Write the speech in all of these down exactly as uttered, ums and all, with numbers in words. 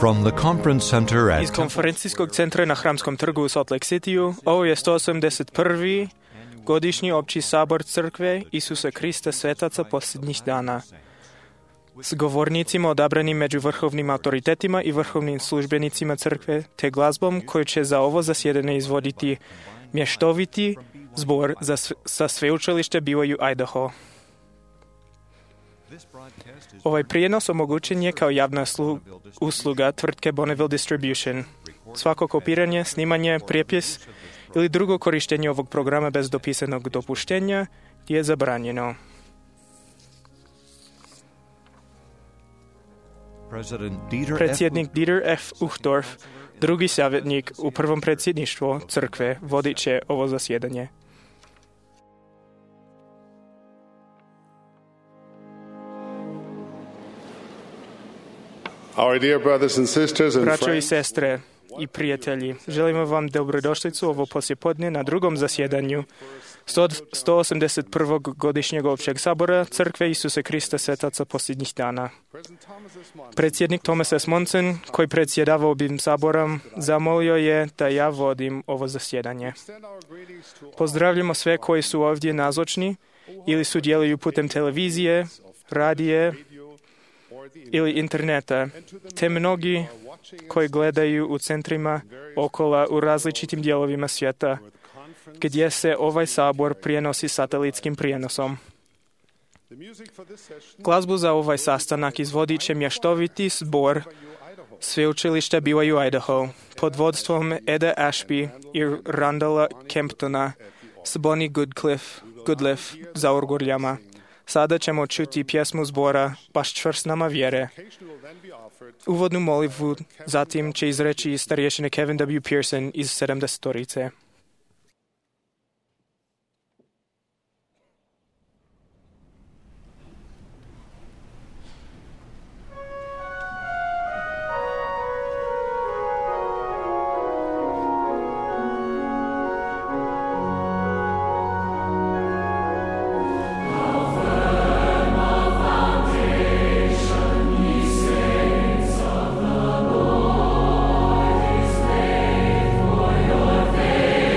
From the conference center at Iz konferencijskog centra na Hramskom trgu u Salt Lake Cityu, ovo je sto osamdeset prvi godišnji opći sabor crkve Isusa Krista svetaca posljednjih dana. S govornicima odabranim među vrhovnim autoritetima i vrhovnim službenicima crkve, te glazbom koju će za ovo zasjedanje izvoditi mještoviti zbor za, sa sveučilište B Y U Idaho. Ovaj prijenos omogućen je kao javna slu, usluga tvrtke Bonneville Distribution. Svako kopiranje, snimanje, prijepis ili drugo korištenje ovog programa bez dopisanog dopuštenja je zabranjeno. Predsjednik Dieter F. Uchtdorf, drugi savjetnik u prvom predsjedništvu crkve, vodit će ovo zasjedanje. Our dear brothers and sisters and Braćo i friends, sestre i prijatelji, želimo vam dobrodošlicu ovo poslijepodne na drugom zasjedanju sto osamdeset prvog godišnjeg općeg sabora Crkve Isusa Krista svetaca posljednjih dana. Predsjednik Thomas S. Monson, koji predsjedava ovim saborom, zamolio je da ja vodim ovo zasjedanje. Pozdravljamo sve koji su ovdje nazočni ili sudjeluju putem televizije, radije ili interneta, te mnogi koji gledaju u centrima okola u različitim dijelovima svijeta, gdje se ovaj sabor prijenosi satelitskim prijenosom. Glazbu za ovaj sastanak izvodit će mještoviti zbor sveučilišta B Y U Idaho pod vodstvom Eda Ashby i Randalla Kemptona s Bonnie Goodcliff, Goodliff za orguljama. Sada ćemo čuti pjesmu zbora Baš čvrst nama vjere. Uvodnu molitvu zatim će izreći starješine Kevin W. Pearson iz sedamdesetorice. Faith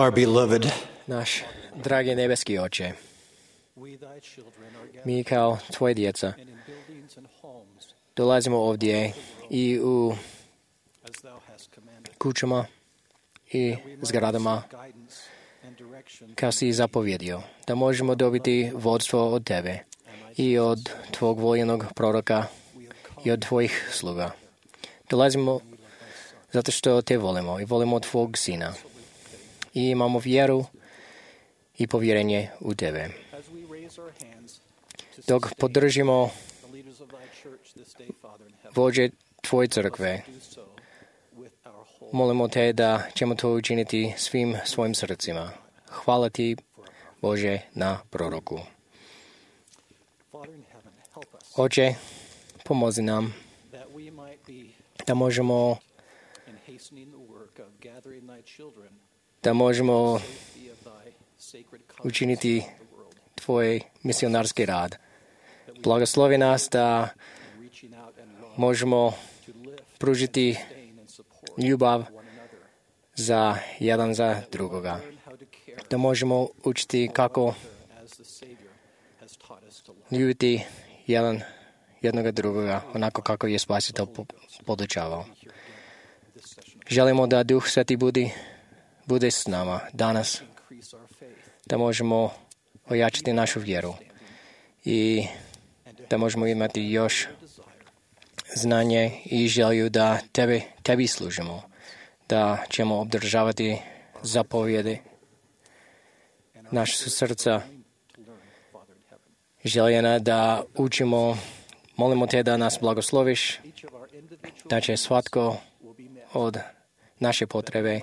Our beloved, Наш дорогий небесный Отче, мы, как Твои дети, долазимо овдje и у кучама и зградама, как си заповедил, да можем добити водство от Тебе и от Твоего военного пророка и от Твоих слуга. Долазимо zato što Te volimo i volimo Tvog Sina. I imamo vjeru i povjerenje u Tebe. Dok podržimo vođe Tvoje crkve, molimo Te da ćemo to učiniti svim svojim srcima. Hvala Ti, Bože, na proroku. Oče, pomozi nam da možemo da možemo učiniti Tvoj misionarski rad. Blagoslovi nas da možemo pružiti ljubav za jedan za drugoga. Da možemo učiti kako ljubiti jedan jednoga drugoga, onako kako je Spasitelj podučavao. Želimo da Duh Sveti bude, bude s nama danas, da možemo ojačati našu vjeru i da možemo imati još znanje i želju da tebi, tebi služimo, da ćemo obdržavati zapovjede naše srca željena da učimo. Molimo Te da nas blagosloviš, da će svatko od naše potrebe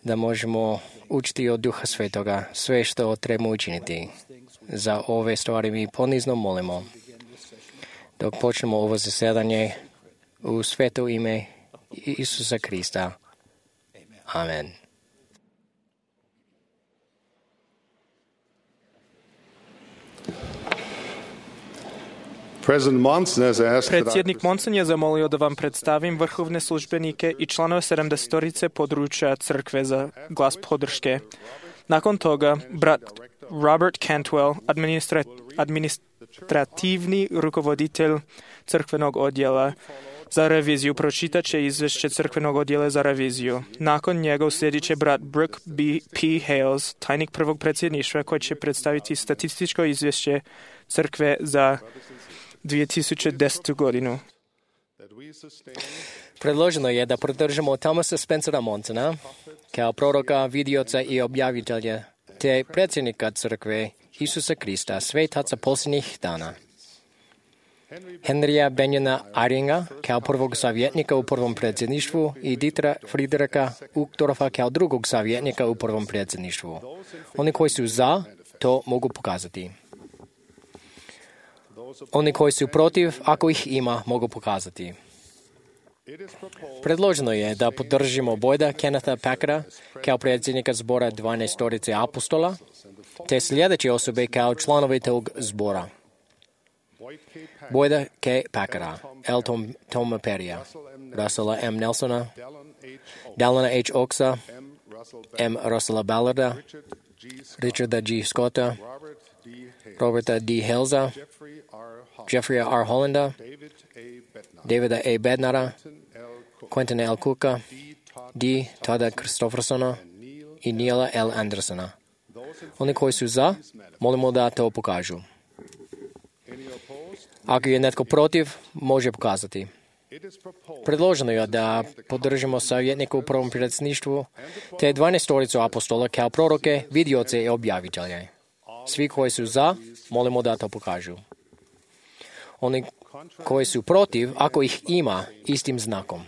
da možemo učiti od Duha Svetoga sve što trebamo učiniti. Za ove stvari mi ponizno molimo. Dok počnemo ovo zasjedanje u sveto ime Isusa Krista. Amen. Predsjednik Monson je zamolio da vam predstavim vrhovne službenike i članove sedamdesetorice područja crkve za glas podrške. Nakon toga, brat Robert Cantwell, administra- administrativni rukovoditelj crkvenog odjela za reviziju, pročitat će izvješće crkvenog odjela za reviziju. Nakon njega uslijedit će brat Brooke B. P. Hales, tajnik prvog predsjedništva, koji će predstaviti statističko izvješće crkve za dvije tisuće desetu godinu. Predloženo je da podržimo Thomasa Spencera Monsona kao proroka, vidioca i objavitelja, te predsjednika crkve Isusa Krista, svetaca posljednjih dana. Henrya Benjana Eyringa kao prvog savjetnika u prvom predsjedništvu i Dietera Friedricha Uchtdorfa kao drugog savjetnika u prvom predsjedništvu. Oni koji su za, to mogu pokazati. Oni koji su protiv, ako ih ima, mogu pokazati. Predloženo je da podržimo Boyda Kennetha Packera kao predsjednika zbora dvanaestorice apostola, te sljedeće osobe kao članovi tog zbora. Boyda K. Packera, L. Tom, Toma Perrya, Russella M. Nelsona, Dallana H. Oaksa, M. Russella Ballarda, Richarda G. Scotta, Roberta D. Halesa, Jeffrey R. Hollanda, Davida A. Bednara, Quentin L. Cooka, D. Toda Christophersona i Neila L. Andersona. Oni koji su za, molimo da to pokažu. Ako je netko protiv, može pokazati. Predloženo je da podržimo savjetnika u prvom predsjedništvu, te dvanaestoricu apostola kao proroke, vidioce i objavitelje. Svi koji su za, molimo da to pokažu. Oni koji su protiv, ako ih ima, istim znakom.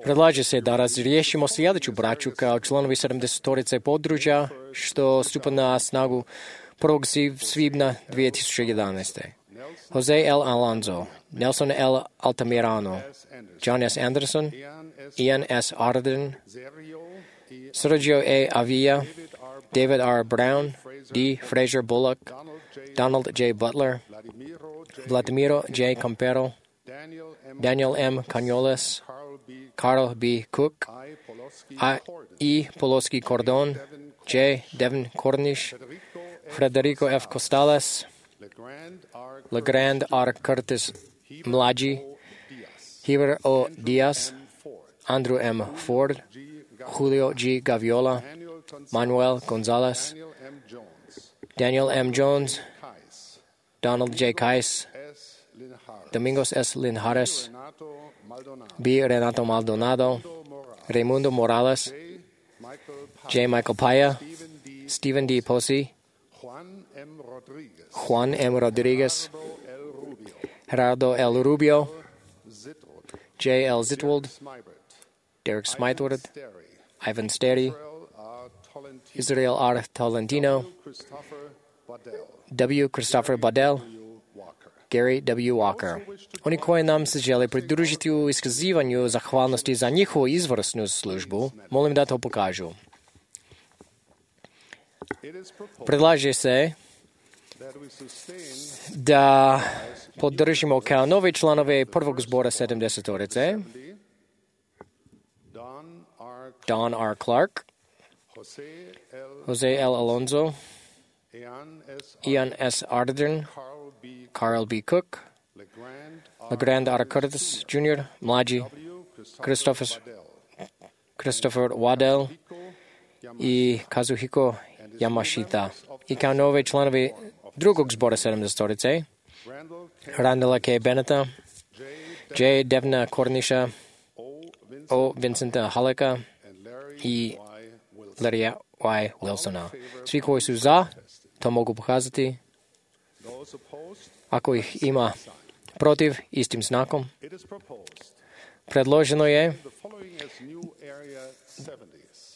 Predlaže se da razriješimo sljedeću braću kao članovi sedamdesetorice područja, što stupa na snagu prvog svibnja dvije tisuće jedanaeste. Jose L. Alonso, Nelson L. Altamirano, John S. Anderson, Ian S. Arden, Sergio A. Avila, David R. Brown, D. Fraser Bullock, Donald J. Butler, Vladimiro J. Campero, Daniel M. Canyoles, Carl B. Cook, A. E. Poloski Cordon, J. Devin Cornish, Federico F. Costales, LeGrand R. Curtis Mlađi, Heber O. Diaz, Andrew M. Ford, Julio G. Gaviola, Manuel Gonzalez, Daniel M. Jones, Donald J. Kais, Domingos S. Linhares, B. Renato Maldonado, Raimundo Morales, J. Michael Paya, Stephen D. Posey, Juan M. Rodriguez, Gerardo L. Rubio, J. L. Zitwald, Derek Smythward, Ivan Sterry, Israel R. Tolentino, W. Christopher Badel, Gary W. Walker. Oni koji nam se žele pridružiti u iskazivanju zahvalnosti za njihovu izvrsnu službu, molim da to pokažu. Predlaže se da podržimo kao novi članove prvog zbora sedamdesetorice Don R. Clark, Jose L. Alonso, Ian S. Ardern, Carl B. Cook, LeGrand R. Curtis Junior, Mlađi, Christopher, Christopher Waddell i Kazuhiko Yamashita. I kao nove članovi drugog zbora sedamdesetorice Randala K. Beneta, J. Devna Cornisha, O. Vincenta Haleka i Larry Y. Wilsona. Svi koji su za, to mogu pokazati. Ako ih ima protiv, istim znakom. Predloženo je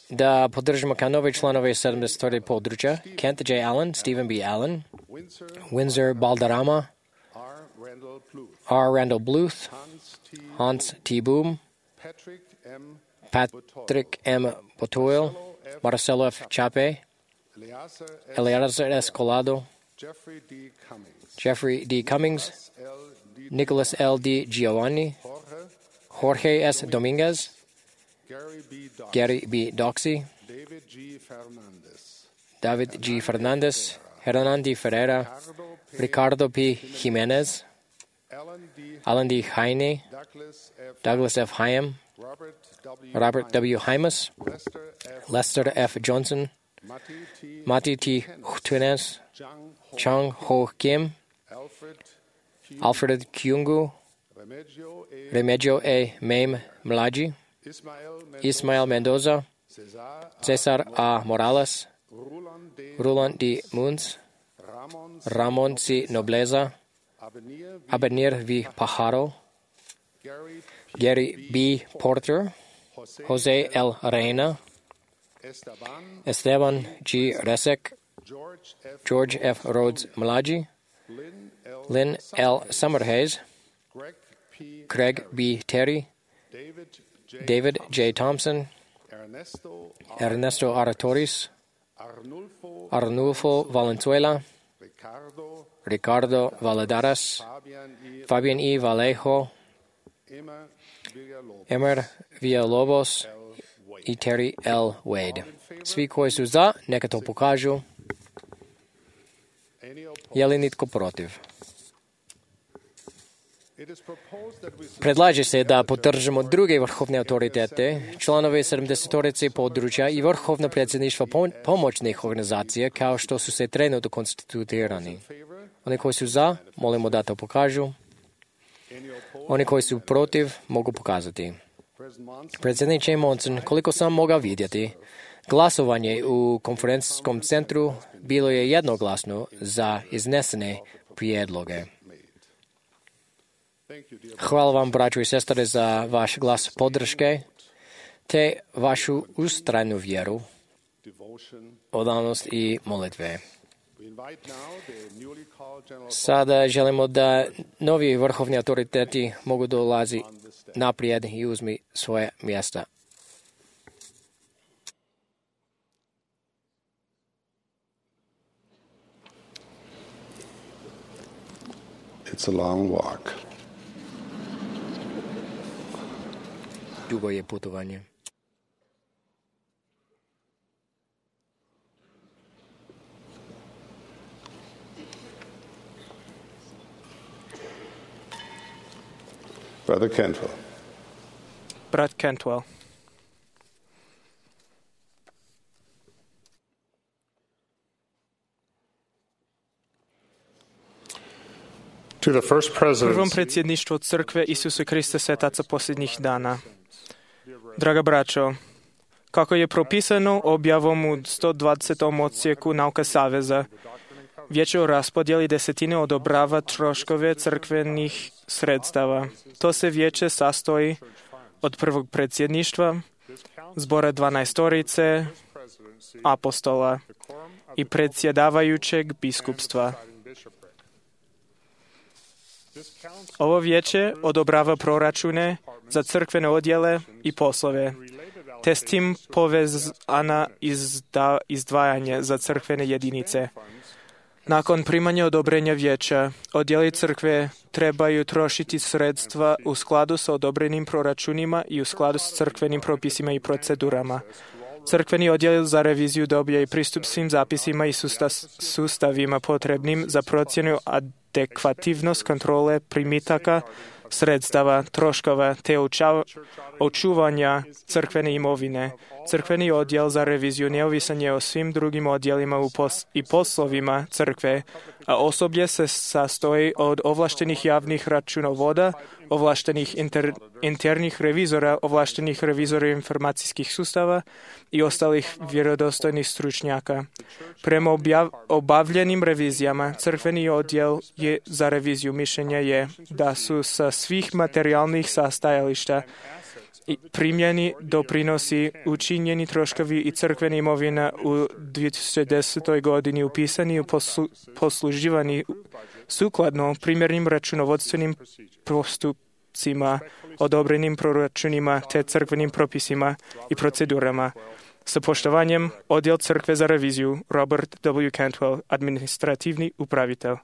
da podržimo kao nove članove sedamdesetorice područja Kent J. Allen, Stephen B. Allen, Windsor Balderrama, R. Randall Bluth, Hans T. Boom, Patrick M. Botoil, Marcelo F. Chape, Eleazar S. Colado, Jeffrey D. Cummings, Nicholas L. D. Giovanni, Jorge S. Dominguez, Gary B. Doxey, David G. Fernandez, Hernandi Ferreira, Ricardo P. Jimenez, Alan D. Heine, Douglas F. Hyam, Robert W. Hymas, Lester F. Johnson, Mati T. Tunes, Chung Ho Kim, Alfred Kyungu, Remigio A. Mame Mlađi, Ismael Mendoza, Cesar A. Morales, Roland D. Munz, Ramon C. Nobleza, Abenir V. Pajaro, Gary B. Porter, Jose L. Reina, Esteban G. Resek, George F. Rhodes Mlađi, Lynn L. Summerhays, Craig B. Terry, David J. Thompson, Ernesto Aratoris, Arnulfo Valenzuela, Ricardo Valadares, Fabian E. Vallejo, Emer Villalobos i Terry L. Wade. Svi koji su za, neka to pokažu. Je li nitko protiv? Predlaže se da podržimo druge vrhovne autoritete, članove sedamdesetorice područja i vrhovno predsjedništvo pomoćnih organizacija kao što su se trenutno konstituirani. Oni koji su za, molimo da to pokažu. Oni koji su protiv, mogu pokazati. Predsjedniče Monson, koliko sam mogao vidjeti, glasovanje u konferencijskom centru bilo je jednoglasno za iznesene prijedloge. Hvala vam, braćo i sestre, za vaš glas podrške te vašu ustrajnu vjeru, odanost i molitve. Sada želimo da novi vrhovni autoriteti mogu dolazi naprijed i uzmi svoje mjesta. It's a long walk. Dugo je putovanje. Brother Cantwell. Brat Cantwell. To the first president, Prvom predsjedništvu Crkve Isuse Krista Svetaca posljednjih dana. Draga braćo, kako je propisano objavom u sto dvadesetom odsjeku Nauka Saveza, Vijeće o raspodjeli desetine odobrava troškove crkvenih sredstava. To se vijeće sastoji od prvog predsjedništva, zbora dvanaestorice, apostola i predsjedavajućeg biskupstva. Ovo vijeće odobrava proračune za crkvene odjele i poslove, te s tim povezana izda, izdvajanje za crkvene jedinice. Nakon primanja odobrenja vijeća, odjeli crkve trebaju trošiti sredstva u skladu sa odobrenim proračunima i u skladu s crkvenim propisima i procedurama. Crkveni odjel za reviziju dobija i pristup svim zapisima i sustavima potrebnim za procjenu adekvativnost kontrole primitaka, sredstava, troškova te očuvanja crkvene imovine. Crkveni odjel za reviziju neovisan je o svim drugim odjelima u pos- i poslovima crkve, a osoblje se sastoji od ovlaštenih javnih računovoda, ovlaštenih inter- internih revizora, ovlaštenih revizora informacijskih sustava i ostalih vjerodostojnih stručnjaka. Prema objav- obavljenim revizijama, crkveni odjel je za reviziju mišljenja je da su sa svih materijalnih sastajališta i primljeni doprinosi, učinjeni troškovi i crkvena imovina u dvije tisuće desetoj godini upisani i poslu, posluživani sukladno primjernim računovodstvenim postupcima, odobrenim proračunima te crkvenim propisima i procedurama. Sa poštovanjem, odjel crkve za reviziju Robert W. Cantwell, administrativni upravitelj.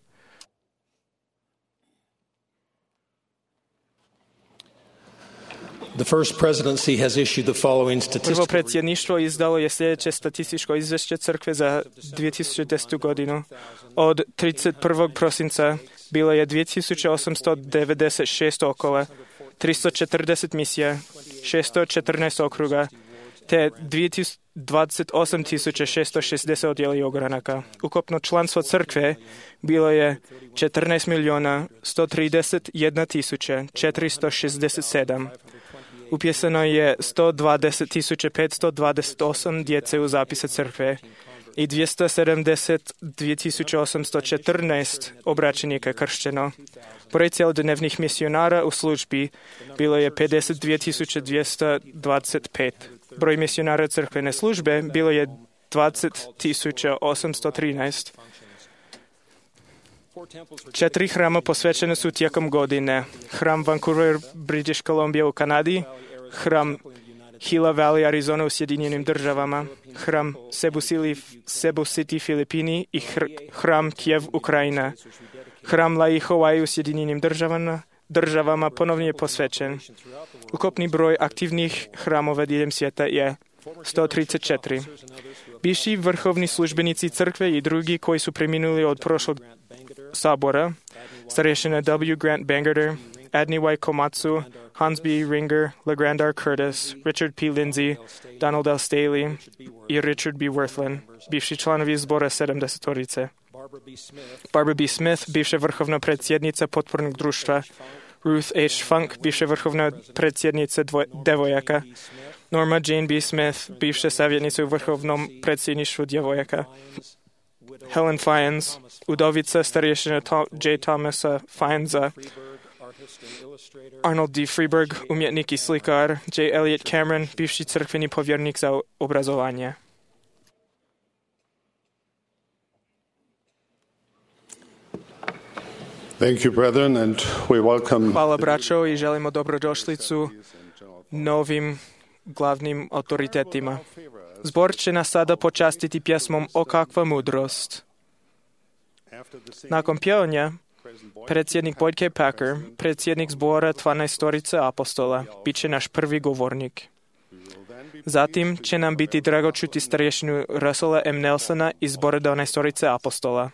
The first presidency has issued the following Prvo statistical predsjedništvo izdalo je sljedeće statističko izvješće crkve za dvije tisuće desetu godinu. Od trideset prvog prosinca bilo je dvije tisuće osamsto devedeset šest okova, tristo četrdeset misija, šesto četrnaest okruga, te dvadeset osam tisuća šesto šezdeset odjela i ogranaka. Ukupno članstvo crkve bilo je četrnaest milijuna sto trideset jedna tisuća četiristo šezdeset sedam. Upisano je sto dvadeset tisuća petsto dvadeset osam djece u zapise crkve i dvjesto sedamdeset dvije tisuće osamsto četrnaest obraćenika kršćeno. Broj cjelodnevnih misionara u službi bilo je pedeset dvije tisuće dvjesto dvadeset pet. Broj misionara crkvene službe bilo je dvadeset tisuća osamsto trinaest. Četiri hrama posvećene su tijekom godine. Hram Vancouver, British Columbia u Kanadi, hram Gila Valley, Arizona u Sjedinjenim državama, hram Cebu City, Filipini i hram Kijev, Ukrajina. Hram Lai Hawaii u Sjedinjenim državama, državama ponovno je posvećen. Ukupni broj aktivnih hramova diljem svijeta je sto trideset četiri. Bivši vrhovni službenici crkve i drugi koji su preminuli od prošlog sabora, starješina W. Grant Bangerter, Adney Y. Komatsu, Hans B. Ringer, LeGrand R. Curtis, Richard P. Lindsay, Donald L. Staley i Richard B. Worthland, bivši članovi zbora sedamdesetorice. Barbara B. Smith, bivša vrhovna predsjednica potpornog društva, Ruth H. Funk, bivša vrhovna predsjednica dvoj- devojaka, Norma Jane B. Smith, bivša savjetnica u vrhovnom predsjedništvu djevojaka, Helen Fiennes, udovica starješina Tom, J. Thomasa Fiennesa, Arnold D. Freeberg, umjetnik i slikar, J. Elliot Cameron, bivši crkveni povjernik za obrazovanje. Thank you, brethren, and we welcome Hvala braćo i želimo dobrodošlicu novim glavnim autoritetima. Zbor će nas sada počastiti pjesmom O kakva mudrost. Nakon pjevanja, predsjednik Boyd K. Packer, predsjednik zbora dvanaestorice apostola, bit će naš prvi govornik. Zatim će nam biti drago čuti starješinu Russella M. Nelsona iz zbora dvanaestorice apostola.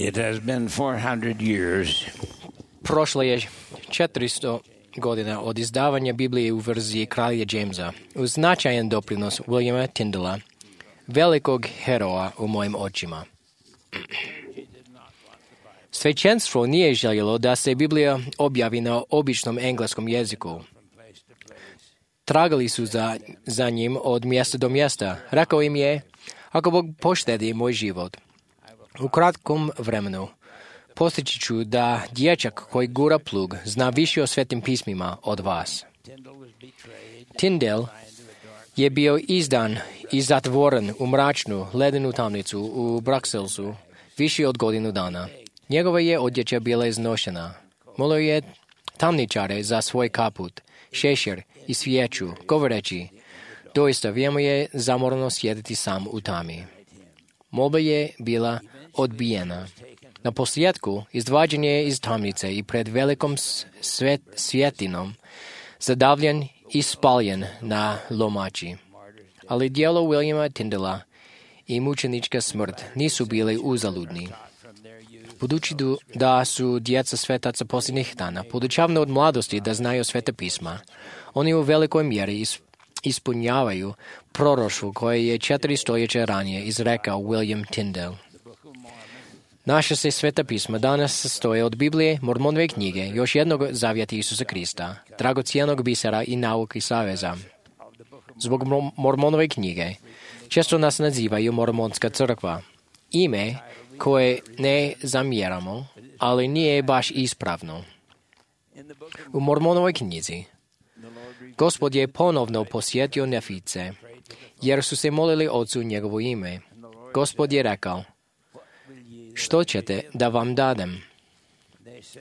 It has been four hundred years Prošlo je četiristo godina od izdavanja Biblije u verziji kralja Jamesa, uz značajan doprinos Williama Tyndala, velikog heroja u mojim očima. Svećenstvo nije željelo da se Biblija objavi na običnom engleskom jeziku. Tragali su za, za njim od mjesta do mjesta. Rekao im je, ako Bog poštedi moj život, u kratkom vremenu postići ću da dječak koji gura plug zna više o svetim pismima od vas. Tyndall je bio izdan i zatvoren u mračnu, ledenu tamnicu u Bruxellesu više od godinu dana. Njegova je odjeća bila iznošena. Molio je tamničare za svoj kaput, šešir i svijeću, govoreći, doista vrijeme je zamorno sjediti sam u tami. Molba je bila odbijena. Na posljedku izvađen je iz tamnice i pred velikom svet, svjetinom zadavljen i spaljen na lomači. Ali djelo Williama Tyndala i mučenička smrt nisu bili uzaludni. Budući da su djeca svetaca posljednjih dana podučavani od mladosti da znaju sveta pisma, oni u velikoj mjeri ispunjavaju proroštvo koje je četiri stoljeća ranije izrekao William Tyndall. Naša se sveta pisma danas sastoje od Biblije, Mormonove knjige, još jednog zavjeta Isusa Krista, dragocijenog bisera i nauke saveza. Zbog Mormonove knjige često nas nazivaju Mormonska crkva. Ime koje ne zamjeramo, ali nije baš ispravno. U Mormonovoj knjizi Gospod je ponovno posjetio Nefice, jer su se molili Otcu njegovo ime. Gospod je rekao, što ćete da vam dadem?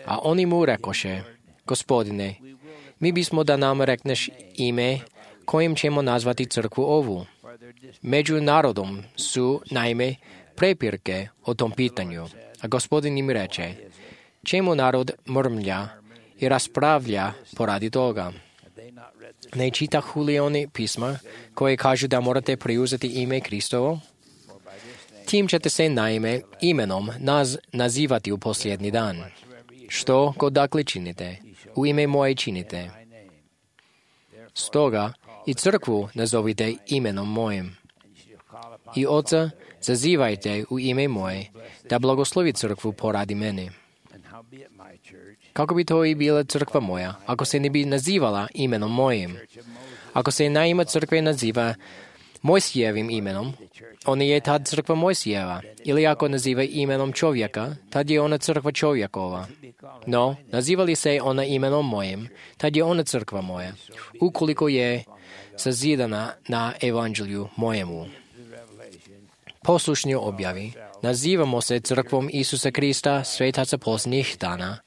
A oni mu rekoše, Gospodine, mi bismo da nam rekneš ime kojim ćemo nazvati crkvu ovu. Među narodom su, naime, prepirke o tom pitanju, a Gospodin im reče, čemu narod mrmlja i raspravlja poradi toga? Ne čitahu li oni pisma koje kažu da morate preuzeti ime Kristovo? Tim ćete se naime imenom naz, nazivati u posljednji dan. Što god dakle činite, u ime moje činite. Stoga i crkvu nazovite imenom mojim. I Oca zazivajte u ime moje, da blagoslovi crkvu poradi mene. Kako bi to i bila crkva moja, ako se ne bi nazivala imenom mojim? Ako se naima crkve naziva Mojsijevim imenom, ona je tad crkva Mojsijeva, ili ako naziva imenom čovjeka, tad je ona crkva čovjekova. No, naziva li se ona imenom mojim, tad je ona crkva moja, ukoliko je sazidana na evanđelju mojemu. Poslušni objavi, nazivamo se crkvom Isusa Krista, svetaca posljednjih dana,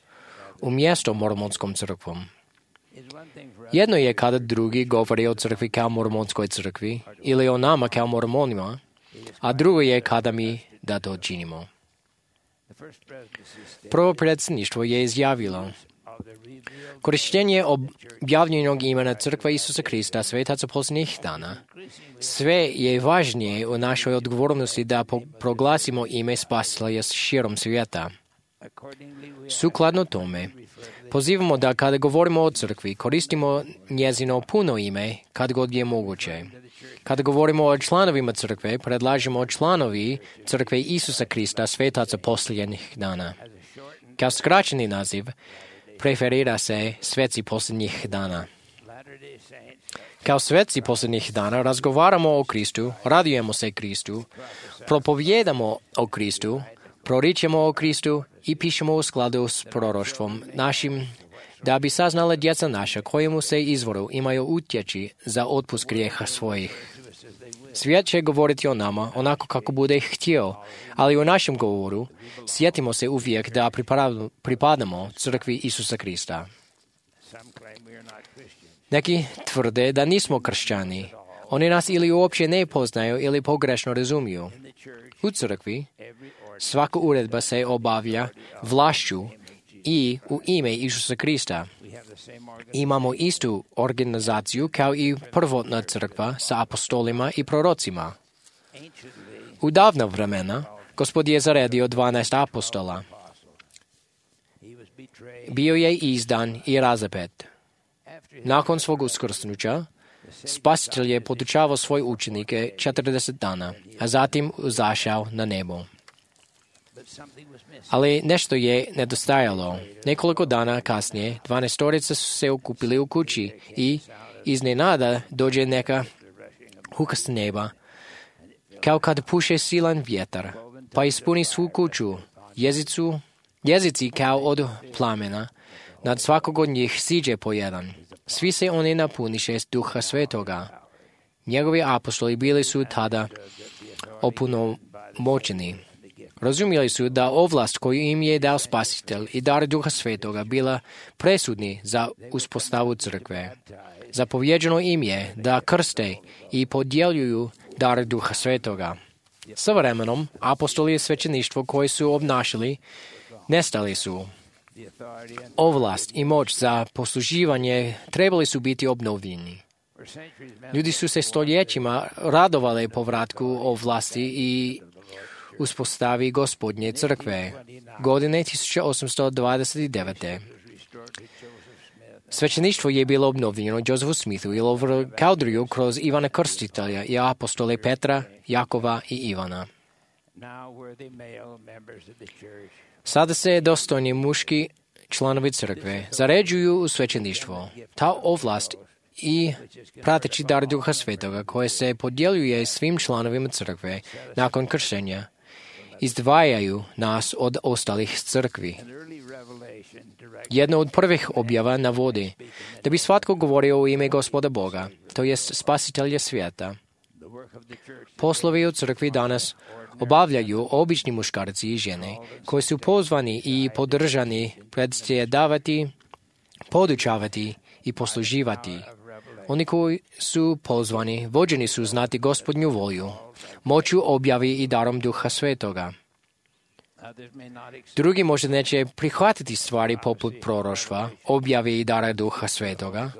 umjesto mormonskom crkvom. Jedno je kada drugi govori o crkvi kao mormonskoj crkvi ili o nama kao mormonima, a drugo je kada mi da to činimo. Prvo predsjedništvo je izjavilo, korištenje objavljenog imena crkva Isusa Krista, svetaca posljednjih dana, sve je važnije u našoj odgovornosti da proglasimo ime Spasitelja širom svijeta. Sukladno tome, pozivamo da kada govorimo o crkvi, koristimo njezino puno ime kad god je moguće. Kada govorimo o članovima crkve, predlažemo članovi crkve Isusa Krista, svetaca posljednjih dana. Kao skraćeni naziv, preferira se sveci posljednjih dana. Kao sveci posljednjih dana razgovaramo o Kristu, radujemo se Kristu, propovijedamo o Kristu, proričemo o Kristu i pišemo u skladu s proroštvom našim, da bi saznala djeca naša kojemu se izvoru imaju utjeći za otpust grijeha svojih. Svijet će govoriti o nama onako kako bude htio, ali u našem govoru sjetimo se uvijek da pripadamo crkvi Isusa Krista. Neki tvrde da nismo kršćani. Oni nas ili uopće ne poznaju ili pogrešno razumiju. U crkvi svaka uredba se obavlja vlašću i u ime Isusa Krista. Imamo istu organizaciju kao i prvotna crkva sa apostolima i prorocima. U davna vremena Gospod je zaredio dvanaest apostola. Bio je izdan i razapet. Nakon svog uskrsnuća, Spasitelj je podučavao svoje učenike četrdeset dana, a zatim uzašao na nebo. Ali nešto je nedostajalo. Nekoliko dana kasnije, dvanaestorica su se okupili u kući i iznenada dođe neka huka s neba, kao kad puše silan vjetar, pa ispuni svu kuću. Jezicu, jezici kao od plamena, nad svakog od njih siđe po jedan. Svi se oni napuniše s Duha Svetoga. Njegovi apostoli bili su tada opunomoćeni. Razumjeli su da ovlast koju im je dao Spasitelj i dar Duha Svetoga bila presudni za uspostavu crkve. Zapovjeđeno im je da krste i podjeljuju dar Duha Svetoga. Sa vremenom, apostoli i svećeništvo koji su obnašali nestali su. Ovlast i moć za posluživanje trebali su biti obnovljeni. Ljudi su se stoljećima radovali povratku ovlasti i uspostavi Gospodnje crkve. Godine tisuća osamsto dvadeset devet. Svećeništvo je bilo obnovljeno Josefu Smithu i Lover Cowderyu kroz Ivana Krstitelja i apostole Petra, Jakova i Ivana. Sada se dostojni muški članovi crkve zaređuju u svećeništvo. Ta ovlast i prateći dar Duha Svetoga koje se podjeljuje svim članovima crkve nakon kršenja izdvajaju nas od ostalih crkvi. Jedna od prvih objava navodi da bi svatko govorio u ime Gospoda Boga, to jest Spasitelja svijeta. Poslovi u crkvi danas obavljaju obični muškarci i žene koji su pozvani i podržani predsjedavati, podučavati i posluživati. Oni koji su pozvani, vođeni su znati Gospodnju volju, moću objavi i darom Duha Svetoga. Drugi možda neće prihvatiti stvari poput proroštva, objave i dara Duha Svetoga,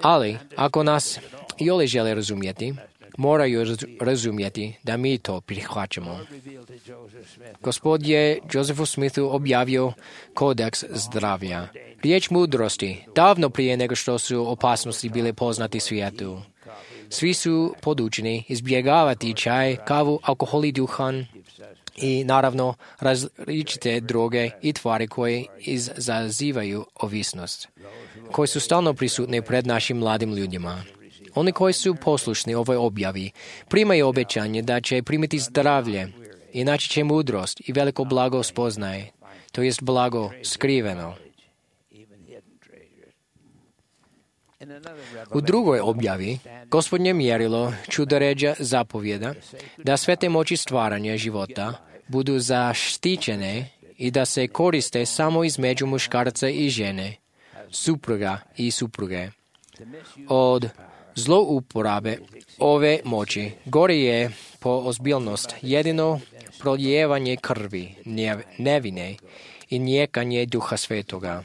ali ako nas i oni žele razumjeti, moraju razumjeti da mi to prihvaćamo. Gospod je Josefu Smithu objavio kodeks zdravlja, riječ mudrosti, davno prije nego što su opasnosti bile poznati svijetu. Svi su podučeni izbjegavati čaj, kavu, alkohol i duhan i naravno različite droge i tvari koje izazivaju ovisnost, koje su stalno prisutne pred našim mladim ljudima. Oni koji su poslušni ovoj objavi primaju obećanje da će primiti zdravlje i naći će mudrost i veliko blago spoznaje, to jest blago skriveno. U drugoj objavi, Gospodnje mjerilo čudoređa zapovjeda da sve te moći stvaranja života budu zaštićene i da se koriste samo između muškarca i žene, supruga i supruge. Od zlouporabe ove moći gore je po ozbiljnost jedino prolijevanje krvi, nevine i nijekanje Duha Svetoga.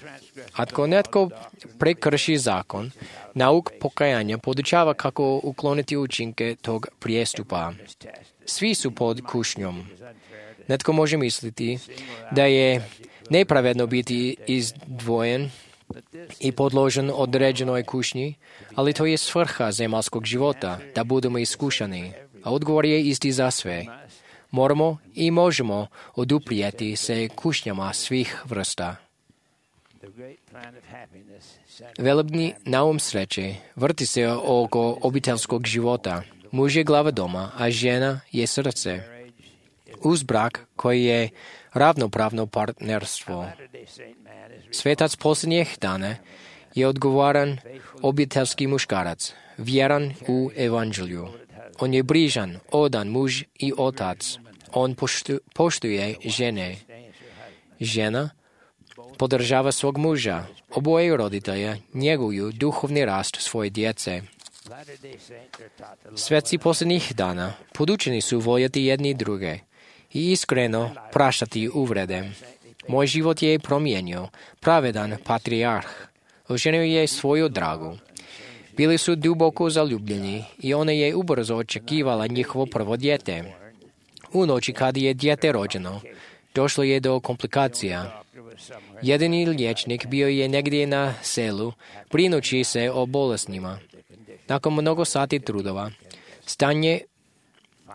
Ako netko prekrši zakon, nauk pokajanja podučava kako ukloniti učinke tog prijestupa. Svi su pod kušnjom. Netko može misliti da je nepravedno biti izdvojen i podložen određenoj kušnji, ali to je svrha zemaljskog života, da budemo iskušani, a odgovor je isti za sve. Moramo i možemo oduprijeti se kušnjama svih vrsta. Velebni naum sreće vrti se oko obiteljskog života. Muž je glava doma, a žena je srce. Uz brak koji je ravnopravno partnerstvo. Svetac posljednjih dana je odgovoran obiteljski muškarac, vjeran u evanđelju. On je brižan, odan muž i otac. On poštu, poštuje žene. Žena podržava svog muža. Oboje roditelja njeguju duhovni rast svoje djece. Sveci posljednjih dana podučeni su voljeti jedni druge i iskreno praštati uvrede. Moj život je promijenio, pravedan patrijarh. Oženio je svoju dragu. Bili su duboko zaljubljeni i ona je ubrzo očekivala njihovo prvo dijete. U noći kad je dijete rođeno, došlo je do komplikacija. Jedini liječnik bio je negdje na selu, brinući se o bolesnima. Nakon mnogo sati trudova, stanje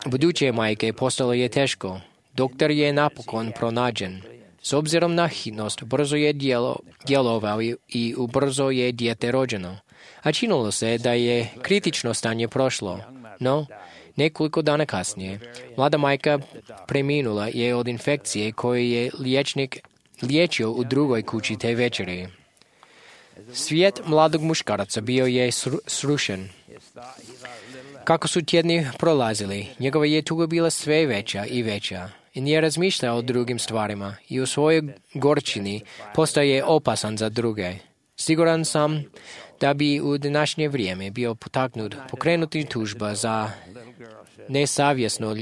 buduće majke postalo je teško. Doktor je napokon pronađen. S obzirom na hitnost, brzo je djelo, djelovao i ubrzo je dijete rođeno. A činilo se da je kritično stanje prošlo. No, nekoliko dana kasnije, mlada majka preminula je od infekcije koju je liječnik liječio u drugoj kući te večeri. Svijet mladog muškarca bio je srušen. Kako su tjedni prolazili, njegova je tuga bila sve veća i veća i nije razmišljao o drugim stvarima i u svojoj gorčini postaje opasan za druge. Siguran sam da bi u današnje vrijeme bio potaknut pokrenuti tužba za nesavjesno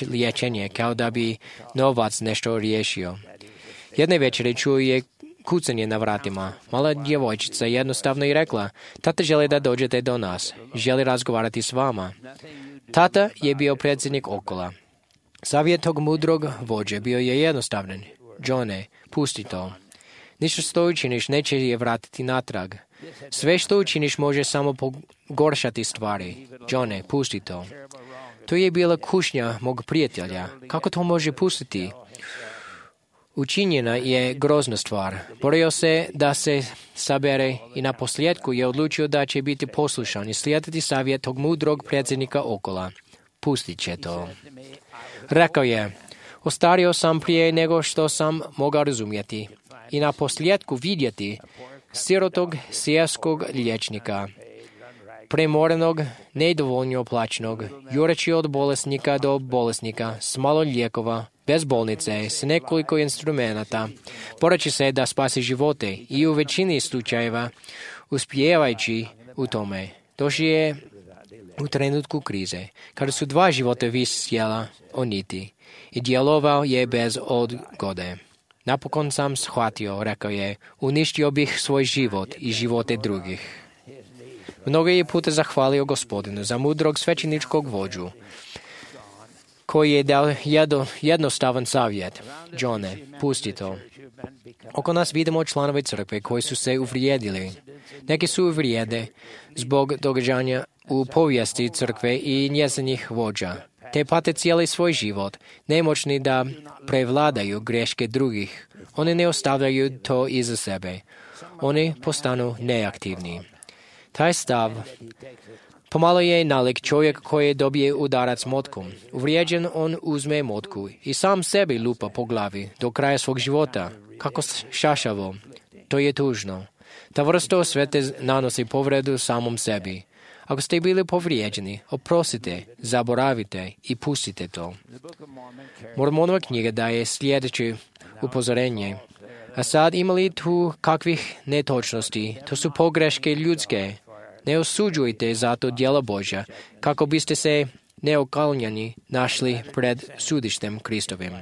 liječenje, kao da bi novac nešto riješio. Jedne večeri čuo je kucanje na vratima. Mala djevojčica jednostavno je rekla: "Tata želi da dođete do nas. Želi razgovarati s vama." Tata je bio predsjednik Okola. Savjet tog mudrog vođe bio je jednostavan. "Johne, pusti to. Ništa što učiniš neće je vratiti natrag. Sve što učiniš može samo pogoršati stvari. Johne, pusti to." To je bila kušnja mog prijatelja. Kako to može pustiti? Učinjena je grozna stvar. Borio se da se sabere i na posljedku je odlučio da će biti poslušan i slijediti savjet tog mudrog predsjednika Okola. Pustit će to. Rekao je: "Ostario sam prije nego što sam mogao razumjeti i na posljedku vidjeti sirotog sijaskog liječnika, premorenog, nedovoljno plaćenog, jureći od bolesnika do bolesnika, s malo lijekova, bez bolnice, s nekoliko instrumenata, boreći se da spasi živote i u većini slučajeva uspijevajući u tome. Došao je u trenutku krize, kada su dva života visjela o niti i djelovao je bez odgode. Napokon sam shvatio," rekao je, "uništio bih svoj život i živote drugih." Mnogo je puta zahvalio Gospodinu za mudrog svećeničkog vođu, koji je dao jedno, jednostavan savjet: "Johne, pusti to." Oko nas vidimo članove crkve koji su se uvrijedili. Neki su uvrijede zbog događanja u povijesti crkve i njezinih vođa, te pate cijeli svoj život, nemoćni da prevladaju greške drugih. Oni ne ostavljaju to iza sebe. Oni postanu neaktivni. Taj stav pomalo je nalik čovjek koji dobije udarac motkom. Uvrijeđen on uzme motku i sam sebi lupa po glavi do kraja svog života. Kako šašavo. To je tužno. Ta vrsta osvete nanosi povredu samom sebi. Ako ste bili povrijeđeni, oprostite, zaboravite i pustite to. Mormonova knjiga daje sljedeće upozorenje. A sad imali tu kakvih netočnosti, to su pogreške ljudske. Ne osuđujte zato djela Božja, kako biste se neokaljani našli pred sudištem Kristovim.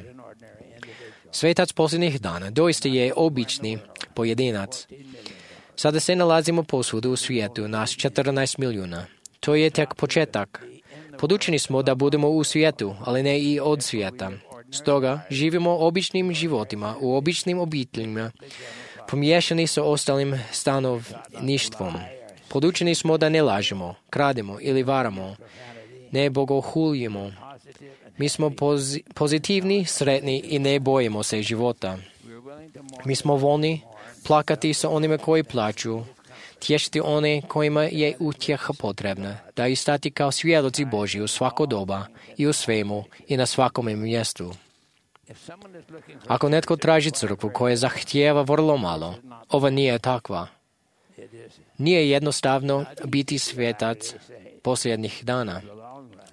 Svetac posljednjih dana doista je obični pojedinac. Sada se nalazimo posvuda u svijetu, nas četrnaest milijuna. To je tek početak. Podučeni smo da budemo u svijetu, ali ne i od svijeta. Stoga živimo običnim životima, u običnim obiteljima, pomiješani sa ostalim stanovništvom. Podučeni smo da ne lažemo, krademo ili varamo, ne bogohuljimo. Mi smo pozi- pozitivni, sretni i ne bojimo se života. Mi smo voljni plakati sa onima koji plaću, tješiti one kojima je utjeha potrebna, da i stati kao svjedoci Božji u svako doba i u svemu i na svakome mjestu. Ako netko traži crkvu koja zahtijeva vrlo malo, ova nije takva. Nije jednostavno biti svetac posljednjih dana,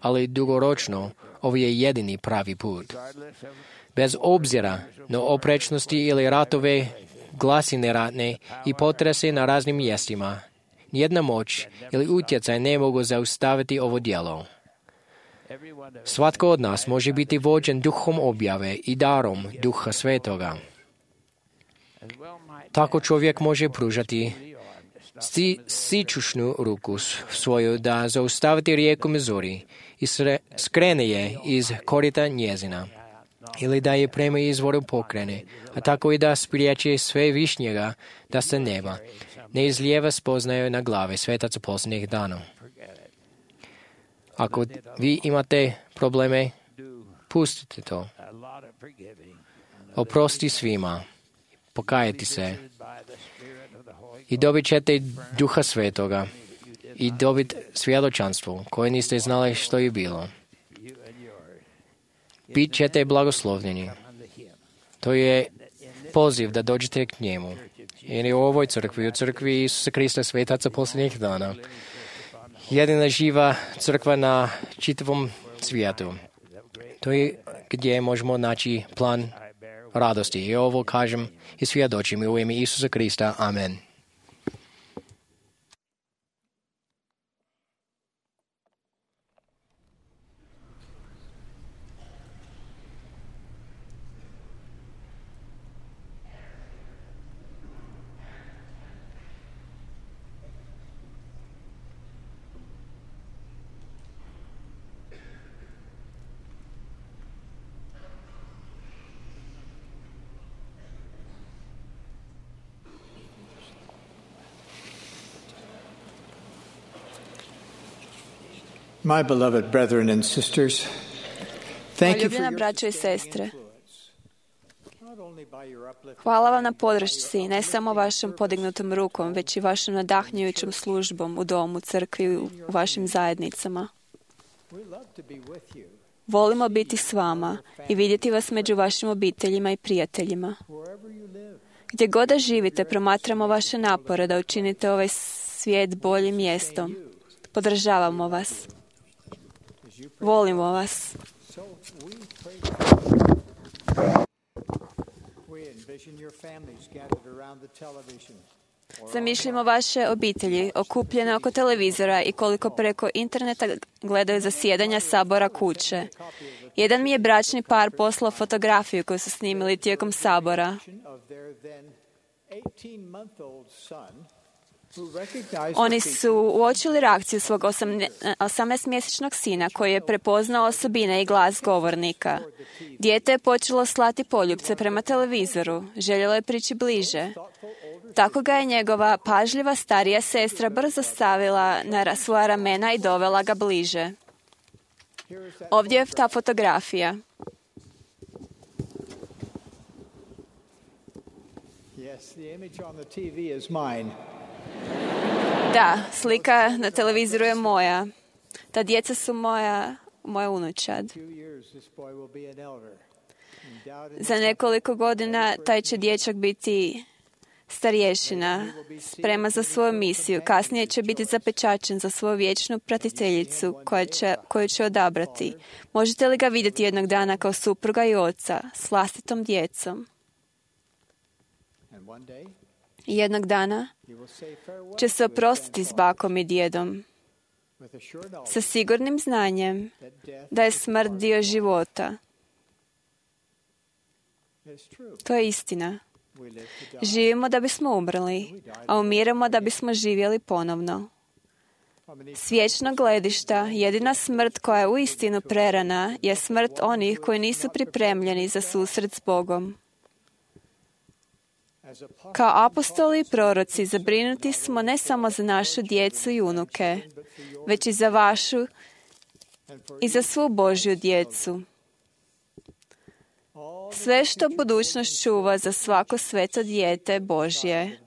ali dugoročno ovo je jedini pravi put. Bez obzira na oprečnosti ili ratove, glasine ratne i potrese na raznim mjestima, nijedna moć ili utjecaj ne mogu zaustaviti ovo djelo. Svatko od nas može biti vođen duhom objave i darom Duha Svetoga. Tako čovjek može pružati si, sičušnu ruku svoju da zaustaviti rijeku Missouri i sre, skrene je iz korita njezina, ili da je prema izvoru pokrene, a tako i da spriječi sve višnjega da se neba ne izlijeva spoznaju na glave svetaca posljednjih dana. Ako vi imate probleme, pustite to. Oprosti svima, pokajati se i dobit ćete Duha Svetoga i dobit svjedočanstvo koje niste znali što je bilo. Bit ćete blagoslovljeni. To je poziv da dođete k njemu. Jer je u ovoj crkvi, u crkvi Isusa Krista svetaca posljednjih dana, jedina živa crkva na čitavom svijetu. To je gdje možemo naći plan radosti. I ovo kažem i svjedočim u ime Isusa Krista. Amen. My beloved brethren and sisters, thank you for Ljubljena your braćo i sestre, not only by your uplifting hvala vam na podršci, ne samo vašom podignutom rukom, već i vašom nadahnjujućom službom u domu, crkvi i u vašim zajednicama. we love to be with you Volimo biti s vama i vidjeti vas među vašim obiteljima i prijateljima. wherever you live. Gdje god da živite, promatramo vaše napore da učinite ovaj svijet boljim mjestom. Podržavamo vas. Volimo vas. So we pray. We envision your families gathered around the television. Zamišljamo vaše obitelji okupljene oko televizora i koliko preko interneta gledaju zasjedanja sabora kuće. Jedan mi je bračni par poslao fotografiju koju su snimili tijekom sabora. Of their then eighteen-month-old son, who recognized Oni the su uočili reakciju svog osamnaestomjesečnog sina koji je prepoznao osobine i glas govornika. Dijete je počelo slati poljupce prema televizoru. Željelo je prići bliže. Tako ga je njegova pažljiva starija sestra brzo stavila na svoja ramena i dovela ga bliže. Ovdje je ta fotografija. Yes, the image on the T V is mine. Da, slika na televizoru je moja. Ta djeca su moja, moja unučad. Two years, this boy will be an elder. Endowed in Za nekoliko godina taj će dječak biti starješina, sprema za svoju misiju. Kasnije će biti zapečačen za svoju vječnu pratiteljicu koja će, koju će odabrati. Možete li ga vidjeti jednog dana kao supruga i oca s vlastitom djecom? and one day I jednog dana he will say farewell će se oprostiti s bakom i djedom with a sure knowledge sa sigurnim znanjem that death da je smrt dio života. is true. To je istina. We live to die. Živimo da bismo umrli, a umiremo da bismo živjeli ponovno. S vječnog gledišta, jedina smrt koja je uistinu prerana je smrt onih koji nisu pripremljeni za susret s Bogom. As a Kao apostoli i proroci zabrinuti smo ne samo za našu djecu i unuke, već i za vašu i za svu Božju djecu. Sve što budućnost čuva za svako sveto dijete Božje,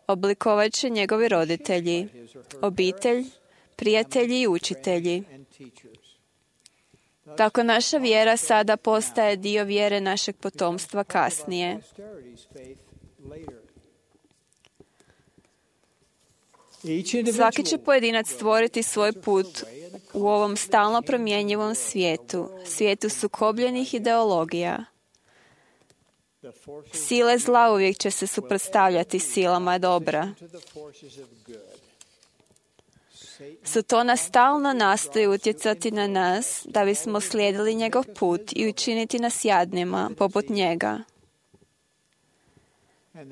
oblikovat će njegovi roditelji, obitelj, prijatelji i učitelji. and teachers. Tako naša vjera sada postaje dio vjere našeg potomstva kasnije. Posterity's faith later. Svaki će pojedinac stvoriti svoj put u ovom stalno promjenjivom svijetu, svijetu sukobljenih ideologija. Sile zla uvijek će se suprotstavljati silama dobra. Satana stalno nastoji utjecati na nas da bismo slijedili njegov put i učiniti nas jadnima poput njega.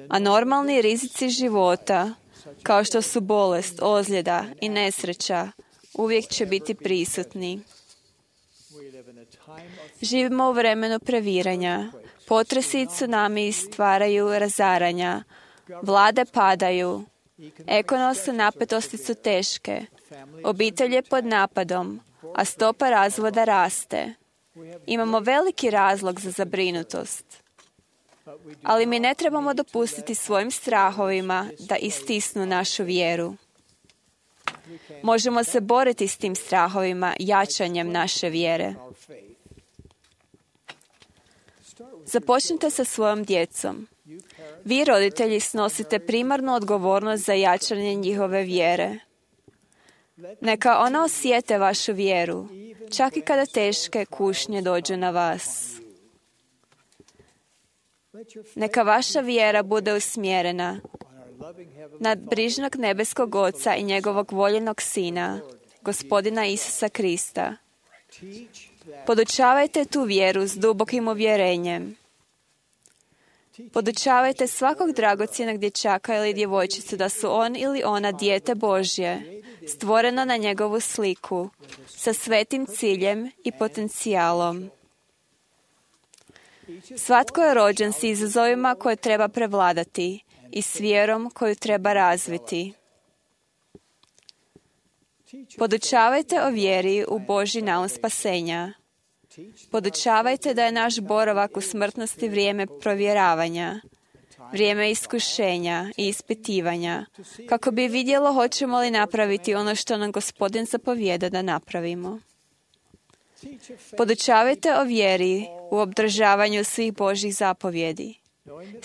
A normalni rizici života kao što su bolest, ozljeda i nesreća, uvijek će biti prisutni. Živimo u vremenu previranja. Potresi i tsunami stvaraju razaranja. Vlade padaju. Ekonomske napetosti su teške. Obitelj je pod napadom, a stopa razvoda raste. Imamo veliki razlog za zabrinutost. Ali mi ne trebamo dopustiti svojim strahovima da istisnu našu vjeru. Možemo se boriti s tim strahovima jačanjem naše vjere. Započnite sa svojom djecom. Vi, roditelji, snosite primarnu odgovornost za jačanje njihove vjere. Neka ona osjete vašu vjeru, čak i kada teške kušnje dođu na vas. Neka vaša vjera bude usmjerena na brižnog nebeskog Oca i njegovog voljenog Sina, Gospodina Isusa Krista. Podučavajte tu vjeru s dubokim uvjerenjem. Podučavajte svakog dragocjenog dječaka ili djevojčicu da su on ili ona dijete Božje, stvoreno na njegovu sliku, sa svetim ciljem i potencijalom. Svatko je rođen s izazovima koje treba prevladati i s vjerom koju treba razviti. Podučavajte o vjeri u Božji naum spasenja. Podučavajte da je naš boravak u smrtnosti vrijeme provjeravanja, vrijeme iskušenja i ispitivanja, kako bi vidjelo hoćemo li napraviti ono što nam Gospodin zapovijeda da napravimo. Podučavajte o vjeri u obdržavanju svih Božjih zapovjedi,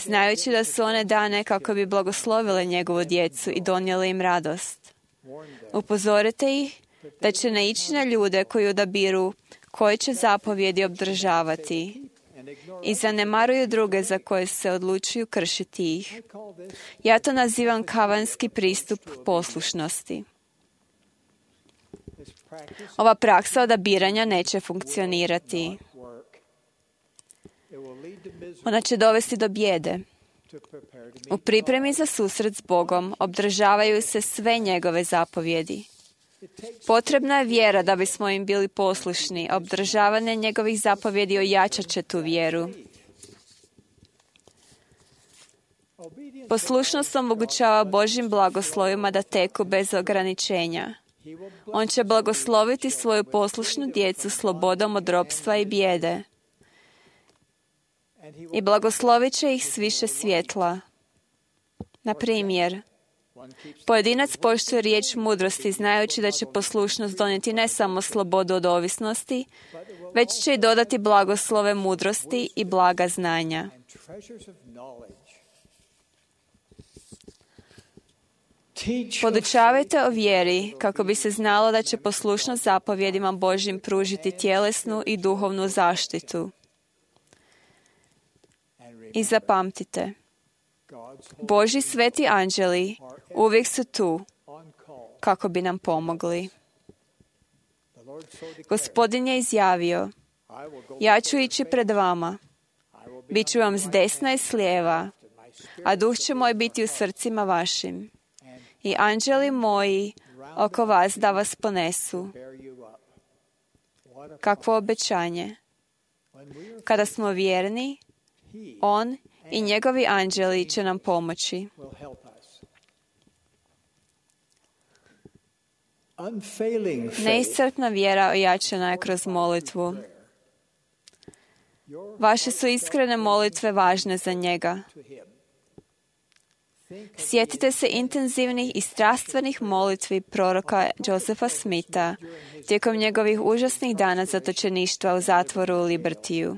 znajući da su one dane kako bi blagoslovile njegovu djecu i donijele im radost. Upozorite ih da će naići na ljude koji odabiru koje će zapovjedi obdržavati i zanemaruju druge za koje se odlučuju kršiti ih. Ja to nazivam kavanski pristup poslušnosti. Ova praksa odabiranja neće funkcionirati. Ona će dovesti do bijede. U pripremi za susret s Bogom obdržavaju se sve njegove zapovjedi. Potrebna je vjera da bismo im bili poslušni. Obdržavanje njegovih zapovjedi ojačat će tu vjeru. Poslušnost omogućava Božjim blagoslovima da teku bez ograničenja. On će blagosloviti svoju poslušnu djecu slobodom od ropstva i bijede. I blagoslovit će ih s više svjetla. Na primjer, pojedinac poštuje riječ mudrosti znajući da će poslušnost donijeti ne samo slobodu od ovisnosti, već će i dodati blagoslove mudrosti i blaga znanja. Podučavajte o vjeri kako bi se znalo da će poslušnost zapovjedima Božjim pružiti tjelesnu i duhovnu zaštitu. I zapamtite, Božji sveti anđeli uvijek su tu kako bi nam pomogli. Gospodin je izjavio, ja ću ići pred vama, bit ću vam s desna i s lijeva, a duh će moj biti u srcima vašim. I anđeli moji oko vas da vas ponesu. Kakvo obećanje. Kada smo vjerni, on i njegovi anđeli će nam pomoći. Neiscrpna vjera ojačana je kroz molitvu. Vaše su iskrene molitve važne za njega. Sjetite se intenzivnih i strastvenih molitvi proroka Josefa Smitha tijekom njegovih užasnih dana zatočeništva u zatvoru u Libertiju.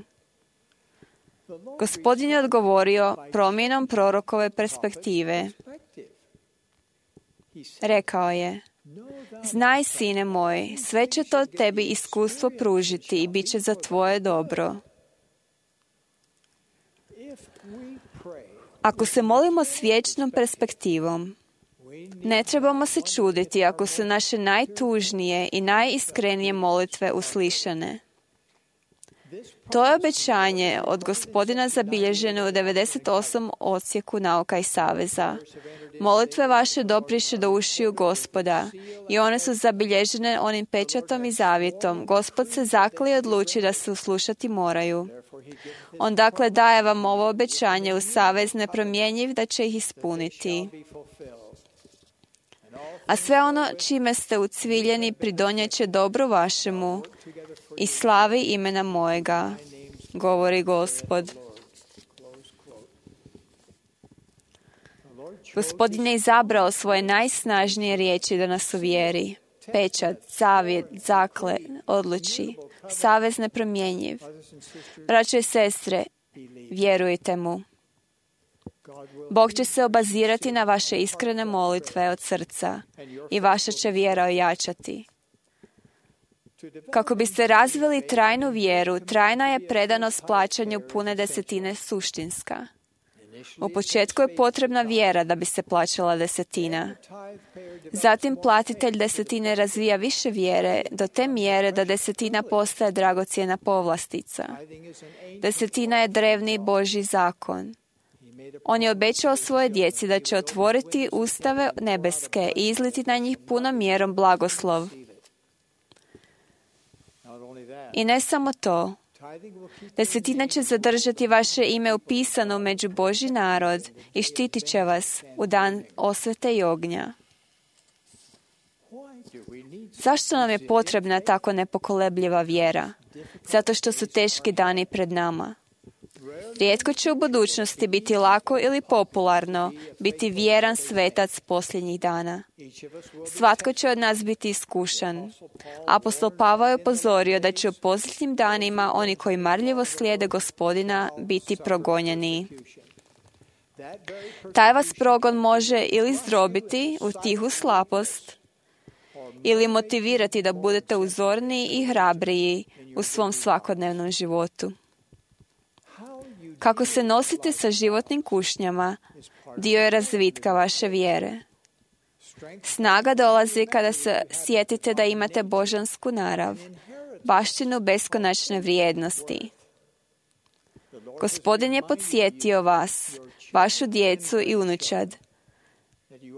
Gospodin je odgovorio promjenom prorokove perspektive. Rekao je, znaj, sine moj, sve će to tebi iskustvo pružiti i bit će za tvoje dobro. Ako se molimo s vječnom perspektivom, ne trebamo se čuditi ako su naše najtužnije i najiskrenije molitve uslišane. To je obećanje od Gospodina zabilježeno u devedeset osam odsjeku nauka i saveza. Molitve vaše dopriše do ušiju Gospoda i one su zabilježene onim pečatom i zavjetom. Gospod se zakli i odluči da se uslušati moraju. On dakle daje vam ovo obećanje u savez nepromjenjiv da će ih ispuniti. A sve ono čime ste ucviljeni pridonijet će dobru vašemu i slavi imena mojega, govori Gospod. Gospodin je izabrao svoje najsnažnije riječi da nas uvjeri. Pečat, zavjet, zakle, odluči, savez nepromjenjiv. Braćo i sestre, vjerujte mu. Bog će se obazirati na vaše iskrene molitve od srca i vaša će vjera ojačati. Kako biste razvili trajnu vjeru, trajna je predanost plaćanju pune desetine suštinska. U početku je potrebna vjera da bi se plaćala desetina. Zatim platitelj desetine razvija više vjere do te mjere da desetina postaje dragocjena povlastica. Desetina je drevni Božji zakon. On je obećao svoje djeci da će otvoriti ustave nebeske i izliti na njih punom mjerom blagoslov. I ne samo to. Desetina će zadržati vaše ime upisano među Božji narod i štitit će vas u dan osvete i ognja. Zašto nam je potrebna tako nepokolebljiva vjera? Zato što su teški dani pred nama. Rijetko će u budućnosti biti lako ili popularno biti vjeran svetac posljednjih dana. Svatko će od nas biti iskušan. Apostol Pavao je upozorio da će u posljednjim danima oni koji marljivo slijede Gospodina biti progonjeni. Taj vas progon može ili zdrobiti u tihu slabost ili motivirati da budete uzorniji i hrabriji u svom svakodnevnom životu. Kako se nosite sa životnim kušnjama, dio je razvitka vaše vjere. Snaga dolazi kada se sjetite da imate božansku narav, baštinu beskonačne vrijednosti. Gospodin je podsjetio vas, vašu djecu i unučad,